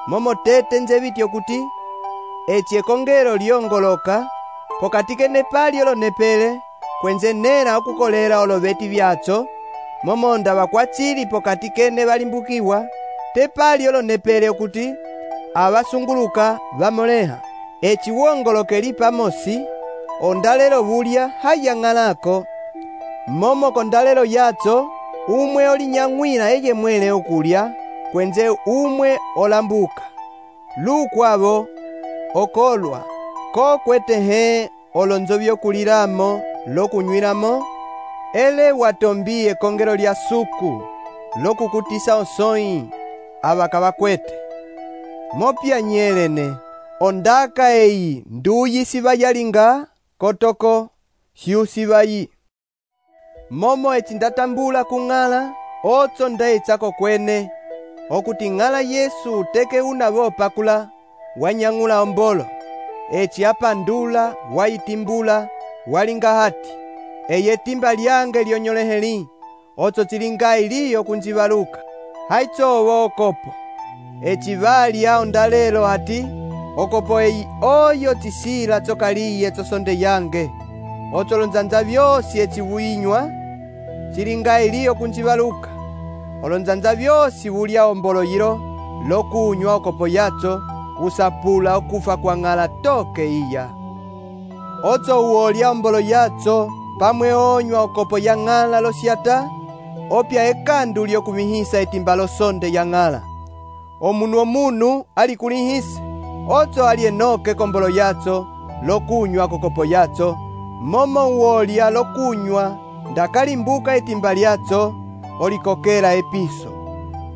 Momo tete nzeviti okuti, eci ekongelo lyongoloka, pokati nepali olonepele, kwenze nera okukolela oloveti vyacho, momo ndava kwachili pokati kene valimbukiwa, tepali olonepele okuti, avasunguluka vamoleha. Eci wongolokeli pamosi, ondalelo vulya hayang'alako. Momo kondalelo yacho, umwe olinyang'wila eye mwele okulya, kwenze umwe olambuka. Lukwavo, okolwa, kokwete he olonzo vyokulilamo, lokunywilamo, ele watombi ekongelo lya suku, lokukutisa osoi, avakavakwete. Mopya nyelene, ondaka eyi nduyi sivayalinga, kotoko, siusivayi. Momo eci ndatambula kung'ala, ocho ndaichako kwene, okuti ng'ala Yesu teke unavo pakula, wanyang'ula ombolo. Eci apandula, waitimbula, walinga hati. Eye timba lyange lyonyoleheli, ocho chilinga iliyo kunjivaluka. Haichowo okopo. Eci valya ondalelo hati, okopo eyi oyo chisila chokaliye chosonde yange. Ocho lonzanja vyosi eci vuinywa, chilinga iliyo kunjivaluka. Olonzanja vyosi vulya ombolo yilo, lokunywa okopo yacho, usapula okufa kwa ng'ala toke iya. Ocho uolya ombolo yacho, pamwe onywa okopo ya ng'ala losyata, opya ekandu lyokumihisa etimba losonde ya ng'ala. Omunu alikulihise, ocho alienoke kombolo yacho, lokunywa kokopo yacho, momo uolya lokunywa, ndakalimbuka etimba lyacho, olikokela episo.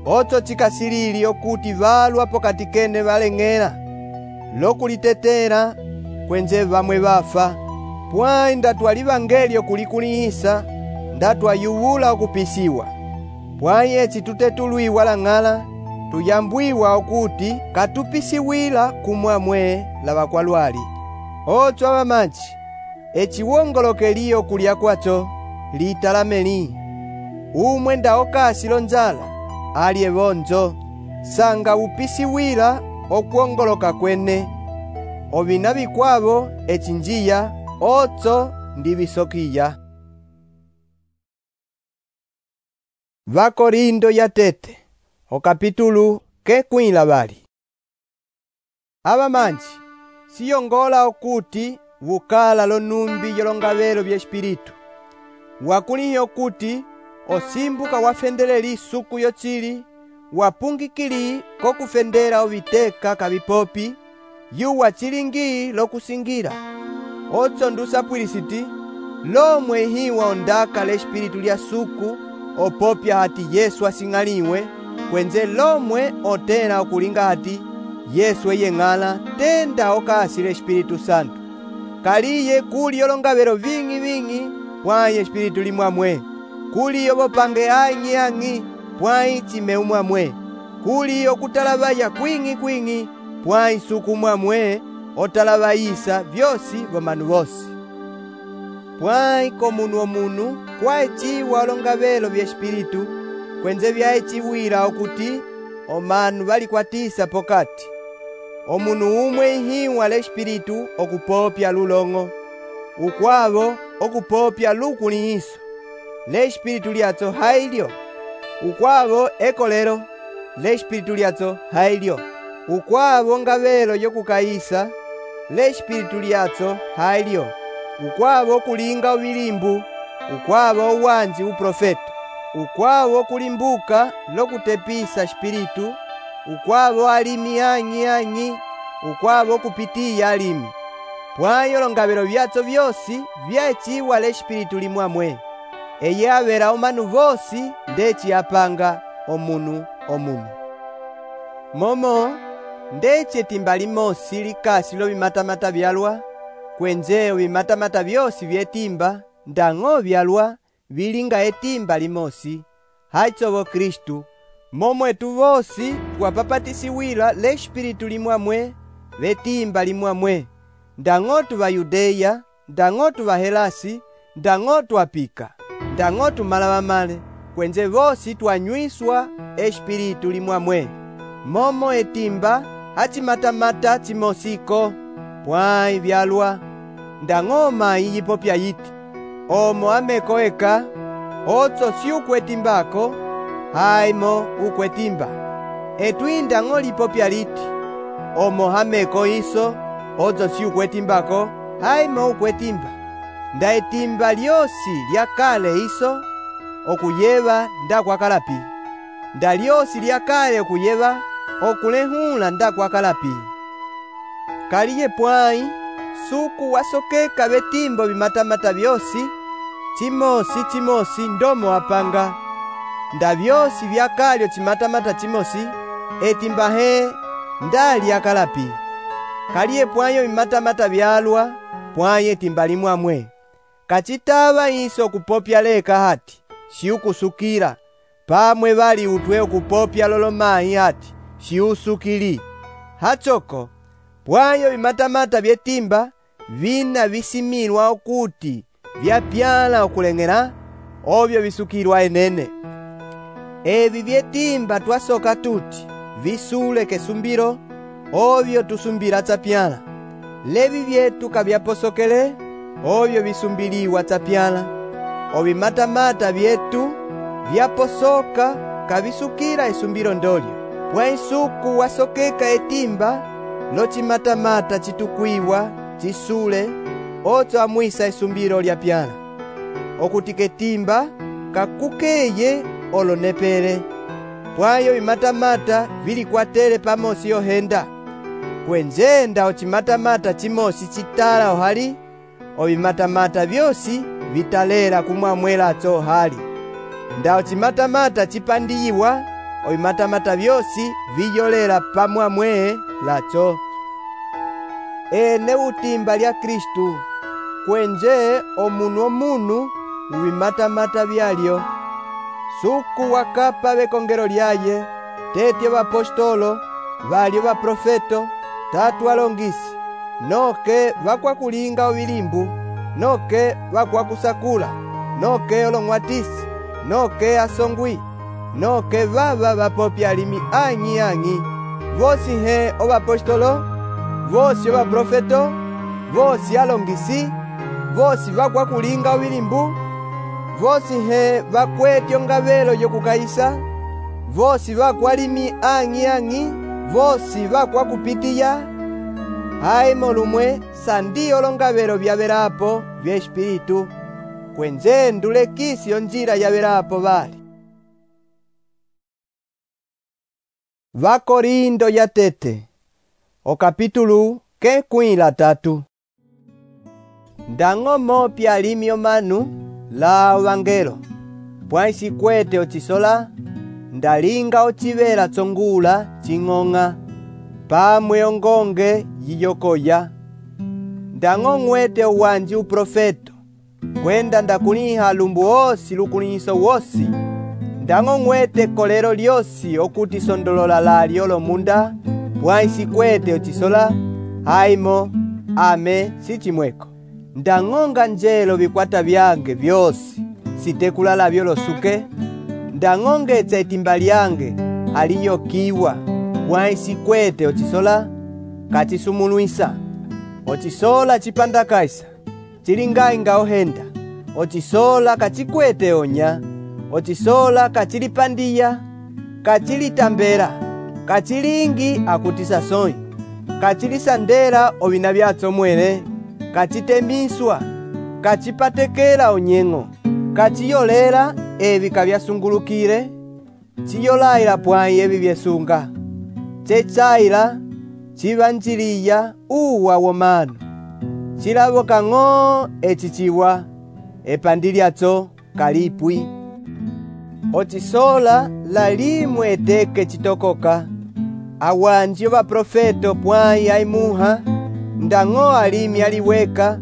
Ocho chikasilili okuti valwa pokati kene valeng'ela, lokulitetela, kwenze vamwe vafa. Pwayi ndatwala ivangelio kulikulihisa, ndatwayuvula okupisiwa. Pwayi eci tutetulwiwa la ng'ala, tuyambwiwa okuti katupisiwila kumwamwe lavakwalwali. Ocho avamaji, eci wongolokeli okulya kwacho, litalameli. Umwe ndaokasilo nzala, alye vonjo, sanga upisiwila okuongoloka kwene. Ovina vikwavo eci njiya, ocho ndivisokiya. Vakorindo yatete okapitulu kekwila bali. Aba manji siyongola okuti vukala lonumbi yolongavelo bya espiritu. Wakuliyo okuti osimbuka wafendelela isuku yochili wapungikili kokufendela oviteka kabipopi yuwa chilingi lokusingira. Otso ndusapwilisiti lomwe hiwa ondaka le espiritu lya suku opopya hati Yesu asing'aliwe kwenze lomwe otela okulinga hati Yesu eyeng'ala tenda okasile Espiritu Santo. Kaliye kuli yolongavelo ving'i pwayi espiritu limwamwe. Kuli yobopange ang'i pwayi chimeu mwamwe. Kuli okutalabaya kwing'i pwayi suku mwamwe otalabayisa vyosi vomanu vosi. Pwayi komunu omunu kwaeciwa olongavelo bya espiritu kwenze vyaeciwila okuti omanu valikwatisa pokati. Omunu umwe ihiwa le espiritu okupopya lulong'o, ukwavo okupopya lukulihiso. Le espiritu lyatso hailyo, ukwavo ekolero, le espiritu lyatso hailyo. Ukwavo ngavelo yokukayisa, le espiritu lyatso hailyo. Ukwavo kulinga uvilimbu, ukwavo uwanji uprofeto. Ukwavo kulimbuka lokutepisa espiritu, ukwavo alimi ang'i, ukwavo kupitiya alimi. Pwayi olongavelo vyatso vyosi vyaeciwa le espiritu limwamwe. Eye avera omanu vosi ndeci apanga omunu. Momo ndeci etimba limosi likasi lovimatamata vyalwa, kwenze ovimatamata vyosi vyetimba ndang'o vyalwa vilinga etimba limosi, haitsovo Kristu, momwetu vosi twapapatisiwila le espiritu limwamwe vetimba limwamwe. Ndang'o Vayudeya, ndang'o Vahelasi, ndang'o twapika, ndang'o tumalavamale, kwenze vosi twanywiswa espiritu limwamwe. Momo etimba hachimatamata chimosiko, pwayi vyalwa, ndang'o mayi yipopya yiti, omo ameko eka, otso si ukwetimbako, haimo ukwetimba. Etwindang'o lipopya liti, omo hameko iso, otso si ukwetimbako, haimo ukwetimba. Nda etimba lyosi lyakale iso, okuyeva ndakwakalapi. Nda lyosi lyakale okuyeva, okulehula ndakwakalapi. Kaliye pwayi, suku wasokeka betimbo bimatamata vyosi, chimosi ndomo apanga. Nda vyosi vyakalyo chimatamata chimosi, etimba he ndali akalapi. Kaliye pwayo bimatamata vyalwa, pwayi etimba limwamwe. Kachitava iso okupopya leka hati, shiukusukira, pamwe vali utwe okupopya lolomayi hati, shiusukili. Hachoko, pwayo bimatamata vyetimba, vina visimilwa okuti vyapyala okuleng'ela, ovyo visukilwa enene. Evi vyetimba twasoka tuti, visule kesumbiro, ovyo tusumbila tsapyala. Levi vyetu kavyaposokele, ovyo visumbiliwa tsapyala. Ovimatamata vyetu vyaposoka kavisukila esumbiro ndolyo. Pwayi suku wasokeka etimba, lochimatamata chitukwiwa, chisule, otso amwisa esumbiro lyapyala. Okuti ketimba kakukeye olonepele. Pwayo bimatamata vilikwatele pamosi yohenda. Kwenze nda ochimatamata chimosi chitala ohali, obimatamata vyosi vitalela kumwamwela atso ohali. Nda ochimatamata chipandiyiwa, obimatamata vyosi viyolela pamwamwe latso. Ene utimba lya Kristu, kwenze omunu ubimatamata vyalyo. Suku wakapa bekongelo lyaye, tetye bapostolo, balyo baprofeto, tatu alongisi, noke bakwakulinga obilimbu, noke bakwakusakula, noke olong'watisi, noke asongwi, noke baba bapopya alimi ang'i, vosi he obapostolo, vosi obaprofeto, vosi alongisi, vosi bakwakulinga obilimbu, vosi he vakwete ongavelo yokukaisa, vosi vakwalimi ang'i, vosi vakwakupitiya. Haimo lumwe sandiyo longavelo vyavelapo vya Espiritu, kwenzendu lekisi onjila yavelapo vali. Vakorindo yatete okapitulu kekwila 3. Ndang'o mopya alimi omanu la ovangelo, pwaisi kwete ocisola, ndalinga ocivela tsongula cing'ong'a, pamwe ongonge yiyokoya. Ndang'o ng'wete uwanji uprofeto, kwenda ndakuliha lumbu osi lukulihiso wosi. Ndang'o ng'wete kolelo lyosi okuti sondolola lalyo lomunda, pwaisi kwete ocisola, haimo, ame sichimweko. Ndang'onga njelo vikwata vyange vyosi, sitekula lavyo losuke. Ndang'ongetsa etimba lyange aliyokiwa, pwaisi kwete ocisola, kacisumulwisa. Ocisola cipandakaisa, cilingainga ohenda. Ocisola kacikwete onya. Ocisola kacilipandiya, kacilitambela, kacilingi akutisa sonyi, kacilisandela ovina vyatso mwele, kacitemiswa, kacipatekela onyeng'o, kaciyolela evi kavyasungulukile, ciyolayila pwayi evi vyesunga, cecaila, civanjiliya uwa womanu, cilavoka ng'o eciciwa, epandi lyatso kalipwi. Ocisola lalimwe eteke citokoka, awanji ovaprofeto pwayi aimuha, ndang'o alimi aliweka,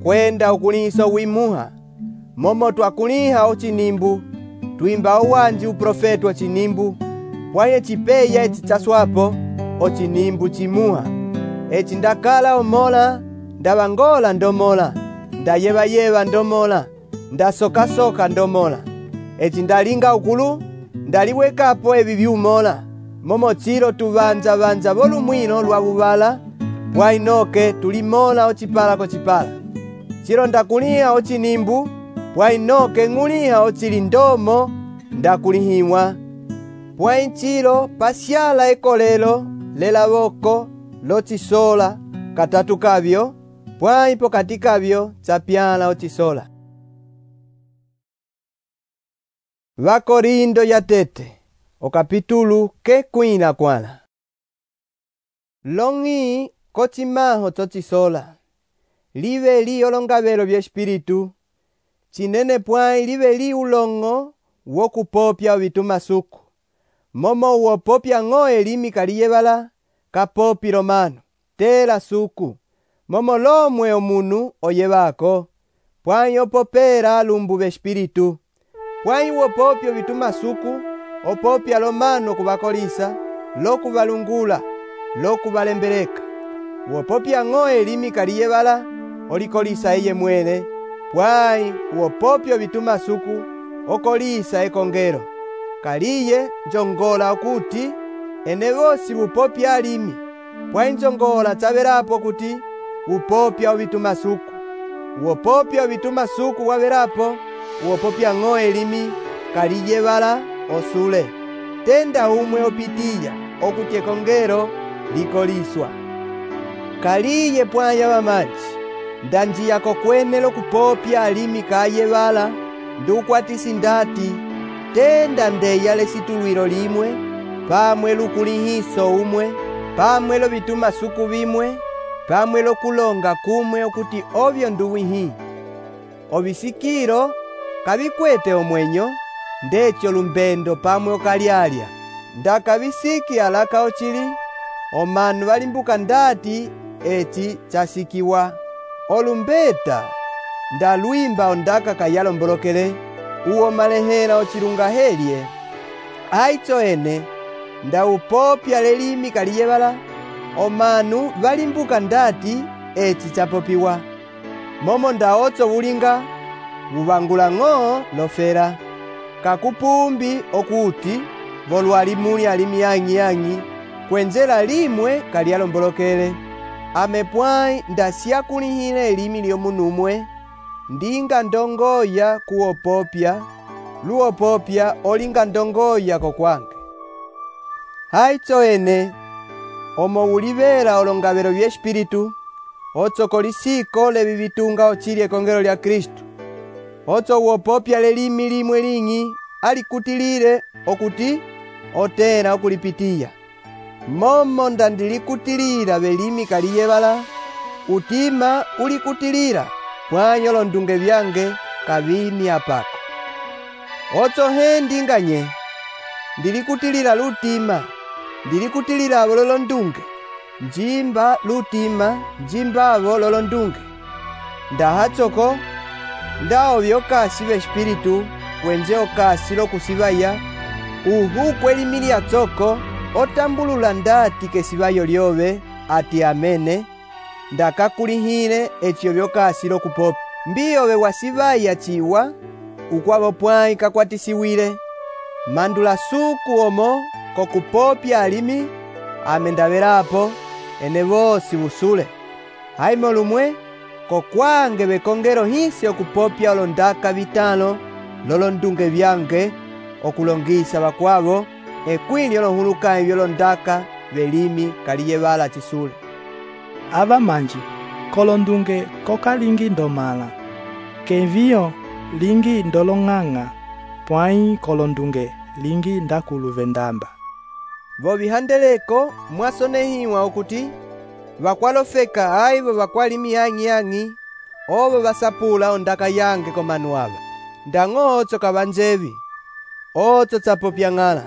kwenda ukulihiso wimuha. Momo twakuliha ocinimbu, twimba owanji uprofeto ocinimbu, pwayi ecipeya eci caswapo, ocinimbu cimuha. Eci ndakala omola, ndavangola ndomola, ndayeva ndomola, ndasoka ndomola. Eci ndalinga ukulu, ndaliwekapo evi vyumola, momo cilo tuvanza volumwino lwa vuvala, pwayi noke tulimola ocipala kocipala. Cilo ndakuliha ocinimbu, pwayi noke ng'uliha ocilindomo ndakulihiwa. Pwayi cilo pasyala ekolelo lelavoko locisola katatu kavyo, pwayi pokati kavyo capyala ocisola. Vakorindo yatete okapitulu kekwila 4. Long'i kocimaho tsocisola, live li olongavelo vya Espiritu, cinene pwayi live li ulong'o wokupopya ovitumasuku. Momo uwopopya ng'o elimi kaliyevala, kapopile omanu, tela suku, momo lomwe omunu oyevako, pwayi opopela lumbu vya Espiritu. Pwayi wopopya ovitumasuku, opopya lomanu okuvakolisa, lokuvalungula, lokuvalembeleka. Wopopya ng'o elimi kaliyevala, olikolisa eye mwele, pwayi wopopya ovitumasuku, okolisa ekongelo. Kaliye njongola okuti, ene vosi vupopya alimi, pwayi njongola tsavelapo kuti, vupopya ovitumasuku. Wopopya ovitumasuku wavelapo, wopopya ng'o elimi kaliyevala osule. Tenda umwe opitiya okuti ekongelo likoliswa. Kaliye pwayi avamanji, ndanjiya kokwene lokupopya alimi kayevala, ndukwatisi ndati, tenda ndeya lesitulwilo limwe, pamwe lukulihiso umwe, pamwe lovitumasuku vimwe, pamwe lokulonga kumwe okuti ovyo nduwihi. Ovisikilo kavikwete omwenyo, ndecho lumbendo pamwe okalyalya. Ndakavisiki alaka ocili, omanu valimbuka ndati eci chasikiwa. Olumbeta ndalwimba ondaka kayalombolokele, uwo malehela ocilungahelye. Aitso ene ndawupopya lelimi kaliyevala, omanu valimbuka ndati eci chapopiwa. Momo ndaotso vulinga, vuvangula ng'o lofela. Kakupumbi okuti, volwali muli alimi ang'i, kwenzela limwe kalyalombolokele. Ame pwayi ndasyakulihile elimi lyomunumwe, ndinga ndongoya kuwopopya, luwopopya olinga ndongoya kokwange. Haitso ene, omo ulivera olongavelo vye Espiritu, otso kolisiko levi vitunga ochili ekongelo lya Kristu. Otso uwopopya lelimi limwe ling'i alikutilile okuti otena okulipitiya. Momo ndandilikutilila velimi kaliyevala, utima ulikutilila pwanyo londunge vyange kavini apako. Otso he ndinganye, ndilikutilila lutima, ndilikutilila avo lolondunge, njimba lutima, njimba avo lolondunge. Ndahatsoko, ndao vyokasi ve Espiritu, kwenze okasi lokusivaya, uhukwe limi lyatsoko, otambulula ndati kesivayo lyove, ati amene, ndakakulihile eciyo vyokasi lokupopya. Mbiyove wasivaya chiwa, ukwavo pwai kakwatisiwile, mandula suku omo, kokupopya alimi, amendavelapo, ene vosi usule. Haimo lumwe, kokwange vekongelo hisi okupopya olondaka vitano, lolondunge vyange, okulongisa vakwavo, ekwili olohuluka vyolondaka velimi kaliyevala chisule. Ava manji, kolondunge kokalingi ndomala, kenviyo lingi ndolong'ang'a, pwai kolondunge lingi ndakulu vendamba. Vo vihandeleko mwasonehiwa okuti, vakwalofeka aivo vakwalimi yang'i, ovo vasapula ondaka yange komanu ava. Ndang'o otso kavanjevi, otso tsapopya ng'ala,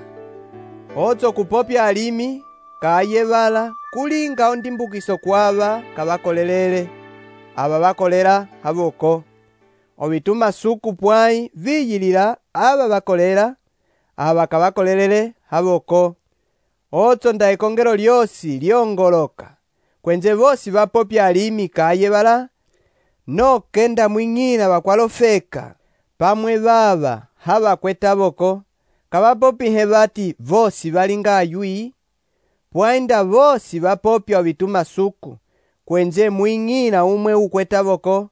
otso kupopya alimi, kayevala, kulinga ondimbukiso kwava kavakolelele, ava vakolela havoko. Ovituma suku pwai viyilila ava vakolela, ava kavakolelele havoko. Otso nda ekongelo lyosi lyongoloka, kwenze vosi vapopya alimi kayevala, noke ndamwing'ila vakwalofeka, pamwe vava hava kwetavoko, kavapopihe vati vosi valinga ayui, pwainda vosi vapopya ovituma suku, kwenze mwing'ila umwe ukwetavoko,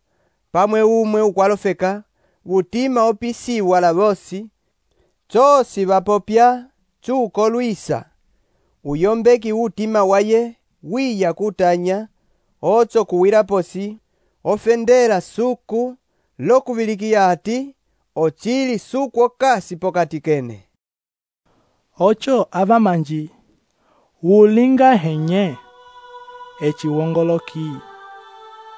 pamwe umwe ukwalofeka, utima opisiwa la vosi, tsosi vapopya, tsuko luisa, uyombeki utima waye, wiya kutanya, otso kuwila posi, ofendela suku, lokuvilikiya ati, ochili suku okasi pokati kene. Ocho ava manji, ulinga henye, echiwongoloki,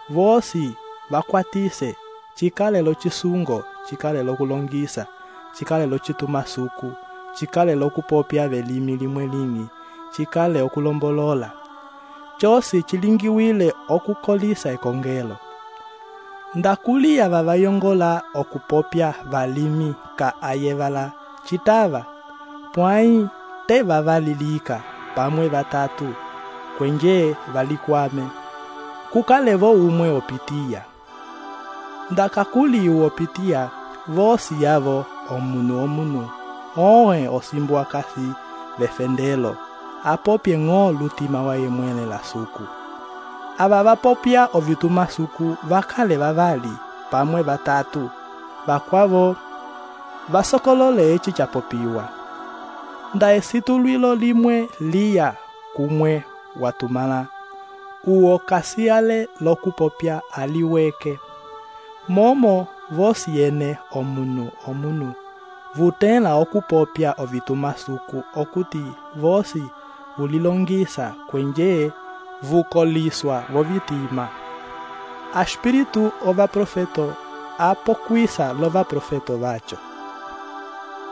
vosi vakwatise, chikalelo chisungo, chikalelo kulongisa, chikalelo chituma suku, chikalelo kupopya velimi limwe ling'i, chikale okulombolola. Chosi chilingiwile okukolisa ekongelo. Ndakuliya vavayongola okupopya valimi ka ayevala chitava, pwai te vavalilika pamwe vatatu, kwenje valikwame, kukalevo umwe opitiya. Ndakakuli opitiya, vosi yavo omunu, oe osimbwa kasi vefendelo, apopye ng'o lutima waye mwene la suku. Ava vapopya ovituma suku vakale vavali, pamwe vatatu, vakwavo vasokolole echi chapopiwa. Nda esitulwilo limwe liya kumwe watumala, uo kasiyale lokupopya aliweke. Momo vosi ene omunu, vutela okupopya ovituma suku okuti vosi vulilongisa kwenje vukoliswa vovitima. Aspiritu ova profeto apokwisa lova profeto vacho.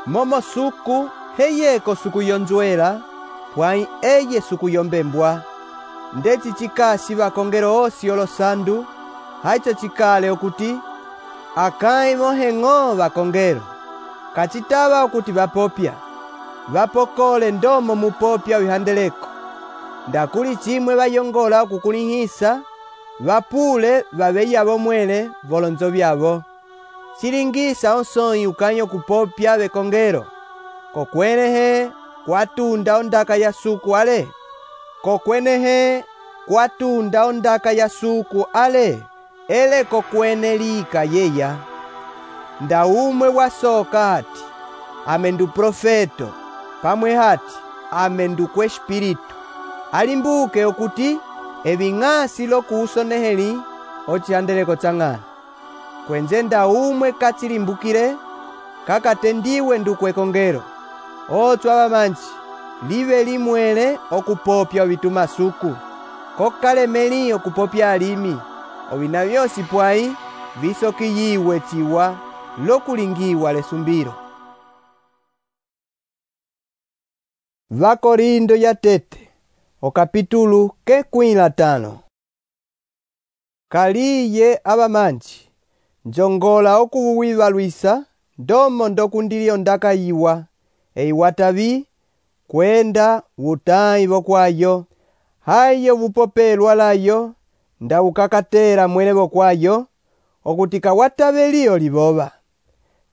Momo suku heyeko suku yonzwela, pwai eye suku yombembwa. Ndeci chikasi vakongelo osi olosandu, haitso chikale okuti, akai moheng'o vakongelo. Kachitava okuti vapopya, vapokole ndomo mupopya wihandeleko. Ndakuli chimwe vayongola okukulihisa, vapule vaveya vomwele volonzo vyavo. Chilingisa onsoi ukanyo kupopya vekongelo, kokwenehe kwatunda ondaka ya suku ale, kokwenehe kwatunda ondaka ya suku ale, eleko kwenelika yeya. Nda umwe wasoka hati, ame ndu profeto, pamwe hati, ame ndu kwe espiritu. Alimbuke okuti, eving'asi lokusoneheli, ocihandeleko tsang'ana. Kwenze nda umwe katsilimbukile, kakatendiwe ndu kwekongelo. Otsu abamanji, live limwele okupopya ovitumasuku. Kokalemeli okupopya alimi, ovina vyosi pwai, visokiyiwe chiwa, lokulingiwa lesumbiro. Vakorindo ya tete, okapitulu ke 15. Kaliye abamanji, njongola okuwivalwisa, ndomo ndokundilio ndakayiwa, eiwatavi, kwenda wutayi vokwayo, hayo vupopelwa layo, nda ukakatera mwele vokwayo, okutika wataveliyo libova.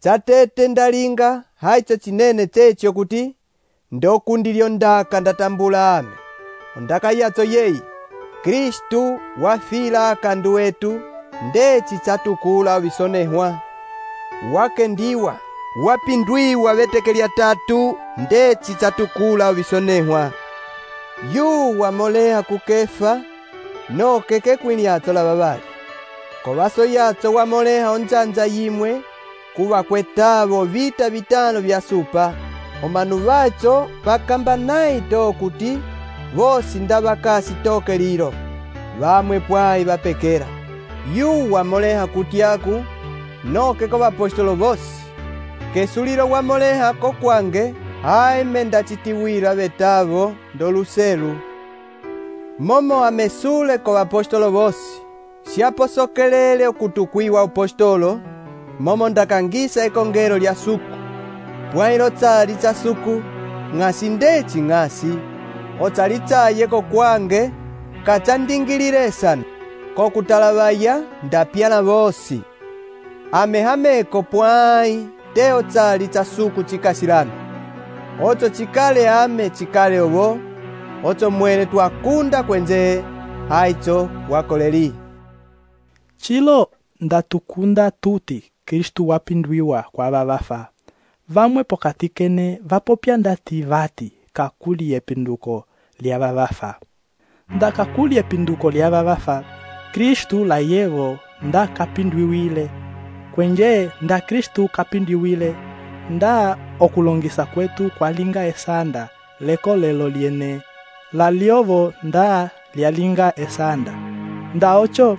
Tsatete ndalinga, haicho chinene techi okuti, ndokundilio ndaka ndatambula ame. Ondaka yatso yeyi, Kristu wafila akandu wetu, ndeci tsatukula ovisonehwa. Wakendiwa, wapindwiwa vetekelya tatu, ndeci tsatukula ovisonehwa. Yu wamoleha kukefa, no keke kwiliatso la babali. Kovaso yatso wamoleha onjanja yimwe, kuva kwetavo vita vitano vya supa. Omanu vacho vakamba naito okuti, vosi ndavakasi toke lilo, vamwe pwai vapekera. Yu wamoleha kutyaku, noke ko vapostolo vosi. Kesulilo wamoleha ko kwange, haime ndachitiwila vetavo ndoluselu. Momo amesule ko vapostolo vosi, siaposokelele okutukwiwa apostolo, momo ndakangisa ekongelo lya suku. Pwailo tsali tsa suku, ng'asi ndeci ng'asi, otsali tsaye ko kwange, kachandingilile sana, kokutalavaya ndapyala vosi. Amehameko pwai, teo tsali tsa suku chikasilana. Ocho chikale ame chikale ovo, ocho mwene twakunda kwenze, haicho wakoleli. Chilo ndatukunda tuti Kristu wapindwiwa kwa vavafa. Vamwe pokati kene vapopya ndati vati kakuli epinduko lya vavafa. Nda kakuli epinduko lya vavafa, Kristu la yevo nda kapindwiwile. Kwenje nda Kristu kapindwiwile, nda okulongisa kwetu kwa linga esanda, leko lelo liene. La liovo nda lialinga esanda. Nda ocho,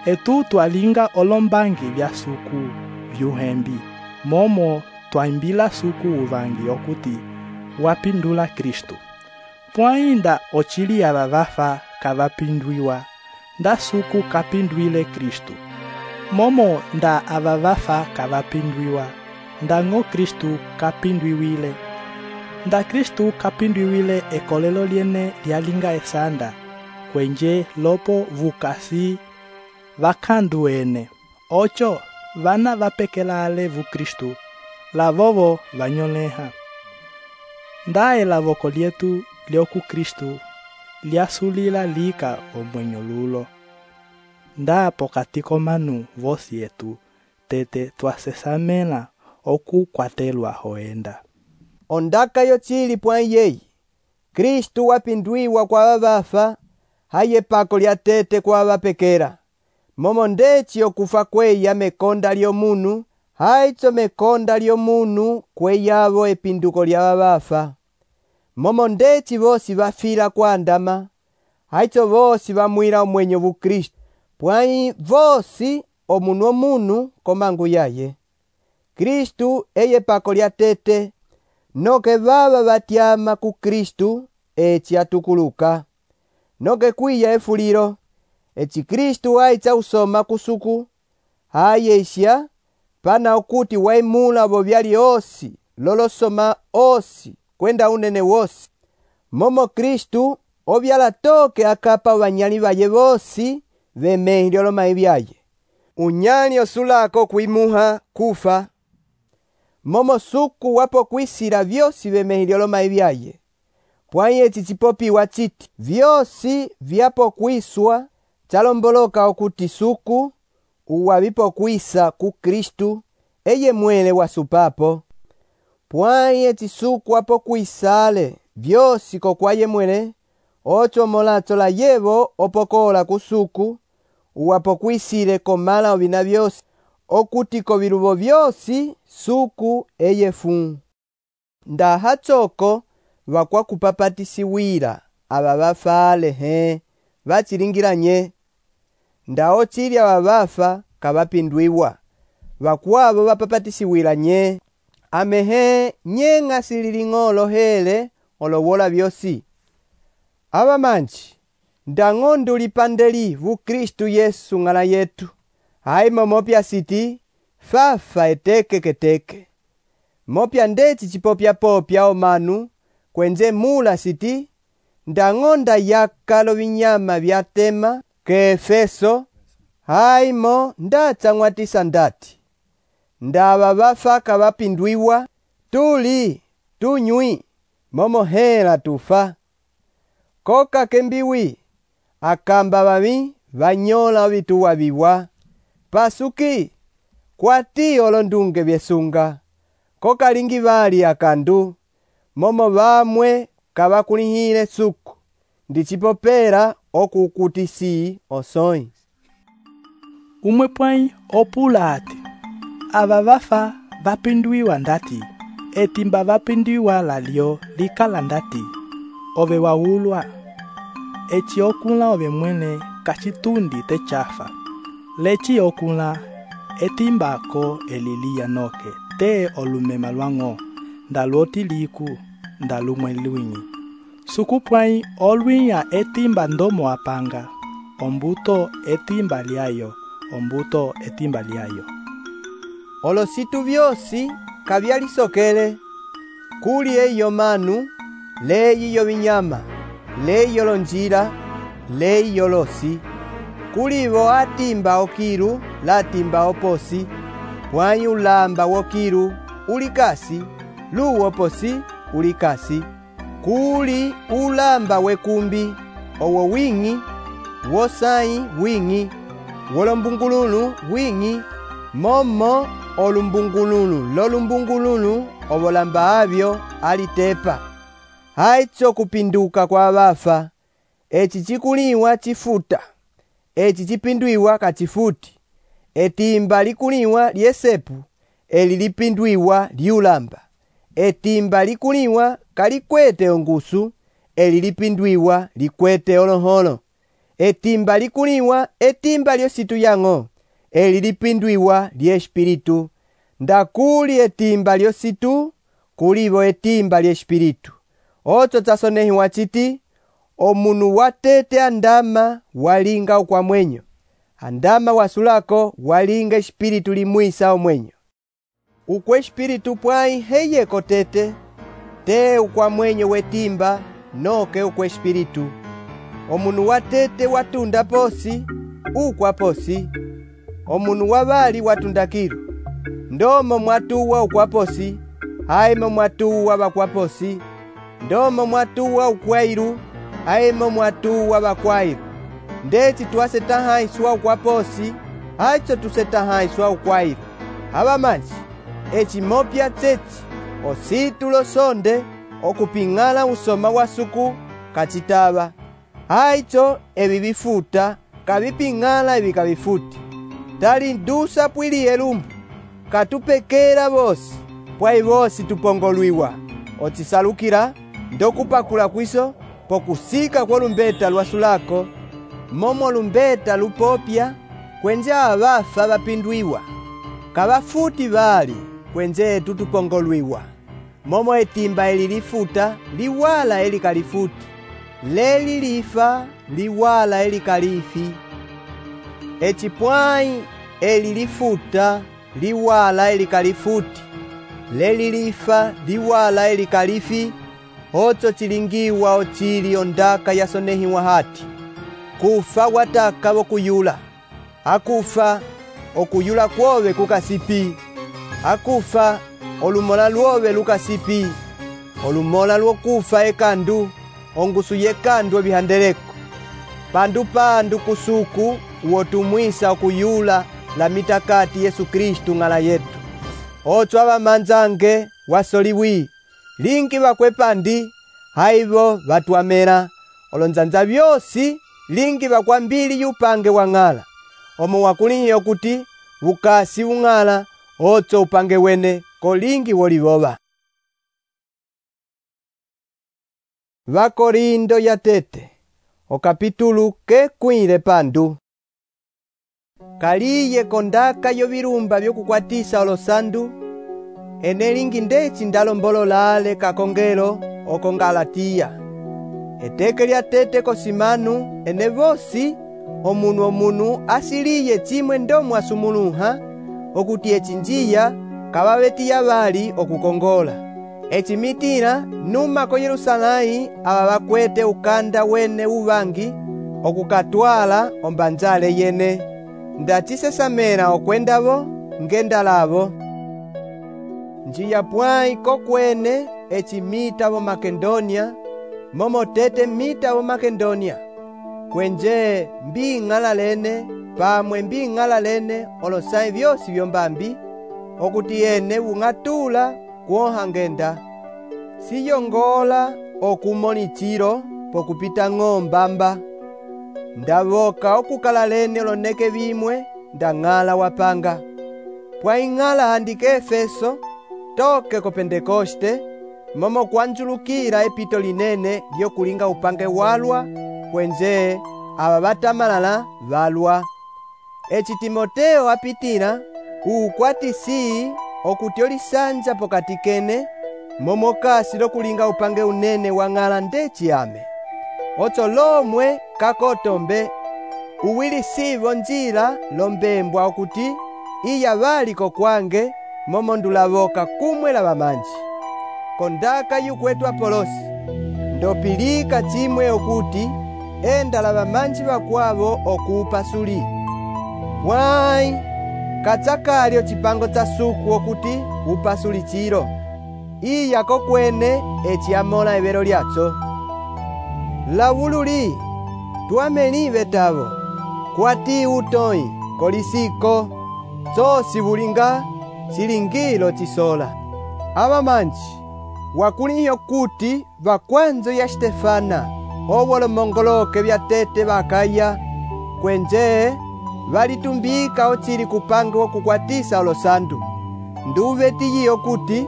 etu twalinga olombangi vya suku vyuhembi. Momo twaimbila suku uvangi okuti wapindula Kristu. Pwainda ochili ya vavafa kavapindwiwa, nda suku kapindwile Kristu. Momo nda avavafa kavapindwiwa, nda ngo Kristu kapindwiwile. Nda Kristu kapindwiwile ekolelo liene lialinga esanda, kwenje lopo vukasi vakanduene. Ocho, vana vapekelale vu Kristu, lavovo vanyoleha. Ndae lavoko lietu lioku Kristu, liasulila lika omwenyo lulo. Nda pokatiko manu vosi etu, tete twasesamela oku kwatelwa hoenda. Ondaka yo chili pwai yeyi, Kristu wapindwiwa kwa vavafa, haye pako lya tete kwa vapekera. Momo ndeci okufa kweya mekonda lyo munu, haicho mekonda lyo munu kweyavo epinduko lya vavafa. Momo ndeci vosi vafila kwa andama, haicho vosi vamwila omwenyo vu Kristu. Pwai vosi omunu omunu komangu yaye. Kristu eye pako lya tete, noke vava vatyama ku Kristu eci atukuluka. Noke kwiya efuliro, eci Kristu aitsa usoma kusuku, hayeisya, pana okuti waimula vo vyali osi, lolosoma osi, kwenda unene wosi. Momo Kristu, ovyala toke akapa vanyali vaye vosi, vemehi lyolomai vyaye. Unyali osulako kwimuha kufa. Momo suku wapo kwisila vyosi vemehi lyolomai vyaye. Pwai eci chipopiwa chiti, vyosi vyapo kwiswa, chalomboloka okuti suku, uwavipokwisa ku Kristu eye mwele wasupapo. Pwai eci suku apokwisale vyosi kokwaye mwele, ocho molatso la yevo opokola kusuku, uwapokwisile komala ovina vyosi, okuti koviluvo vyosi suku eye fu. Ndaha choko vakwakupapatisiwila ava vafale he, vachilingilanye. Nda ochili ava vafa kavapindwiwa, vakwavo vapapatisiwila nye. Amehe nye ng'asililing'olo hele olowola vyosi. Ava manji, ndang'ondo lipandeli vu Kristu Yesu ng'ala yetu, haimo mopya siti, fafa eteke keteke. Mopya ndeci chipopya-popya omanu, kwenze mula siti, ndang'onda yakalo vinyama vyatema ke Efeso, haimo ndachang'watisa ndati. Ndava vafa kavapindwiwa, tuli, tunywi, momo hela tufa. Koka kembiwi, akamba vavi, vanyola ovituwa viwa. Pasuki, kwati olondunge vyesunga. Koka lingi vali akandu, momo vamwe kavakulihile suku, ndichipopera okukutisi osoi. Umwe pwai opula ati, ava vafa vapindwiwa ndati, etimba vapindwiwa lalyo likala ndati, ove waulwa, eci okula ove mwene kachitundi techafa, lechi okula etimbako eliliya noke, te olumema lwang'o, ndaloti liku, ndalumwe lwinyi. Suku pwai olwinya etimba ndomo apanga, ombuto etimba lyayo, ombuto etimba lyayo. Olositu vyosi kavyalisokele, kuli eyo manu, leyi vinyama, leyi lonjila, leyi losi. Kulivo atimba okilu, latimba oposi, pwai ulamba wokilu, ulikasi, luwoposi, ulikasi. Kuli ulamba wekumbi, owo wingi, wosai wingi, wolombungululu wingi, momo olumbungululu lolumbungululu ovolamba avyo alitepa. Haicho kupinduka kwa vafa, eci chikuliwa chifuta, eci chipindwiwa kachifuti, etimba likuliwa lyesepu, eli lipindwiwa liulamba, etimba likuliwa kalikwete ongusu, eli lipindwiwa likwete oloholo, etimba likuliwa etimba lyositu yang'o, eli lipindwiwa lyespiritu. Ndakuli etimba lyositu, kulivo etimba lyespiritu. Ocho chasonehiwa chiti, omunu watete andama walinga ukwamwenyo, andama wasulako walinga espiritu limwisa omwenyo. Ukwe espiritu pwai heye kotete, te ukwamwenyo wetimba noke ukwe espiritu. Omunu watete watunda posi, ukwa posi. Omunu wavali watunda kilu, ndomo mwatuwa ukwaposi, haimo mwatuwa vakwaposi. Ndomo mwatuwa ukwailu, haimo mwatuwa vakwailu. Ndeci twasetahaiswa ukwaposi, hacho tusetahaiswa ukwailu. Ava manji, eci mopya tsechi, ositu losonde, okuping'ala usoma wa suku, kachitava. Haicho evi vifuta, kaviping'ala evi kavifuti. Tali ndusa pwili elumbu, katupekela vosi, pwai vosi tupongolwiwa. Ochisalukila, ndokupakula kwiso, pokusika kwa lumbeta lwasulako, momo lumbeta lupopya, kwenje avafa vapindwiwa. Kavafuti vali, kwenje tutupongolwiwa. Momo etimba eli lifuta, liwala eli kalifuti. Leli lifa, liwala eli kalifi. Eci pwai eli lifuta, liwala eli kalifuti. Leli lifa, liwala eli kalifi. Ocho chilingiwa ochili ondaka yasonehiwa hati. Kufa wataka wokuyula. Akufa, okuyula kwove kukasipi. Akufa, olumola luove lukasipi. Olumola lwokufa ekandu, ongusu yekandu ebihandeleko. Pandu kusuku, uotumwisa okuyula, la mitakati Yesu Kristu ng'ala yetu. Otso abamanzange wasoliwi, lingi bakwepandi, haibo batuamera, olonzanza byosi, lingi bakwambili yupange wa ng'ala. Omo wakulihiyo kuti, ukasi ung'ala, otso upange wene, kolingi woliboba. Vakorindo ya tete, o kapitulu ke kwile pandu. Kaliye kondaka yo birumba byokukwatisa olosandu, ene lingi ndeci ndalombololale kakongelo oko Galatiya. Eteke lya tete kosimanu, ene bosi, omunu asiliye chimwe ndomu asumuluha, okuti echinjiya, kababetiya bali okukongola. Echimitira, numa ko Yerusalai, aba bakwete ukanda wene ubangi, okukatwala ombanzale yene. Ndachisesamera okwendabo, ngendalabo. Njiya pwai kokwene, echimita bo Makedonia, momo tete mita bo Makedonia. Kwenje mbi ng'ala lene, pamwe mbi ng'ala lene, olosai byosi byombambi, okuti ene ung'atula kuoha ngenda. Siyongola okumonichiro pokupita ng'ombamba. Ndaboka okukala lene oloneke bimwe, ndang'ala wapanga. Pwai ng'ala handike Efeso, toke ko Pentekoste, momo kwanjulukira epito linene lyokulinga upange walwa, kwenje aba batamalala balwa. Eci Timoteo apitira, ukwatisi okuti olisanja pokati kene, momo kasi lokulinga upange unene wa ng'ala ndeci ame. Otso lomwe kakotombe, uwilisivo njila lombembwa okuti, iya baliko kwange, momo ndulaboka kumwe la bamanji. Kondaka yukwetu Apolosi, ndopilika chimwe okuti, enda la bamanji bakwabo okupasuli. Pwai, katsakalyo chipango tsa suku okuti upasuli chiro. Iya kokwene echiamola ebero lyatso. Lawululi, tuamelive tabo, kwati utoi, kolisiko, tsosi bulinga, silingilo chisola. Abamanji, wakuliyo kuti bakwanzo ya Stefana, obolo mongoloke bya tete bakaya, kwenje, balitumbika ochili kupange wokukwatisa olosandu. Ndubetiyo kuti,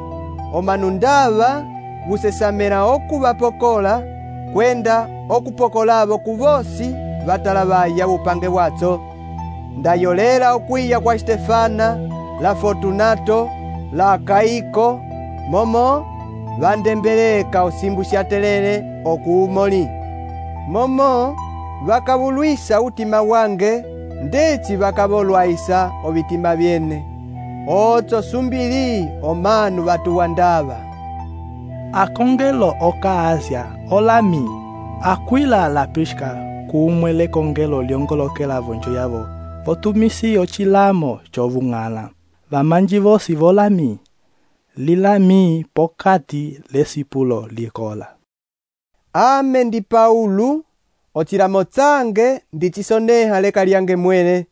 omanundaba, busesamera okubapokola, kwenda okupokolabo kubosi, batalabaya bupange watso. Ndayolela okwiya kwa Stefana, la Fortunato, la Akaiko, momo, bandembeleka osimbusya telele okuumoli. Momo, bakabulwisa utima wange, ndeci bakabolwaisa obitima byene. Otso sumbili omanu batuwandaba. Akongelo oka Asia, olami, Aquila la Prisca, kumwe le kongelo liongolokela vonjo yabo, potumisi ochilamo chovung'ala. Bamanji bosi volami, lilami pokati lesipulo likola. Ame ndi Paulu, ochilamo tsange ndichisoneha leka lyange mwene.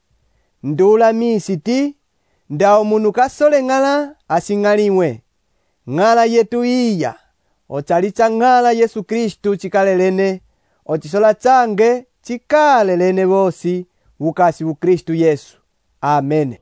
Ndulami siti, ndao munu kasole ng'ala asing'aliwe. Ng'ala yetu iya, ochalitsa ng'ala Yesu Kristu chikalelene, ochisola tsange chikalelene bosi, bukasi bu Kristu Yesu. Amen.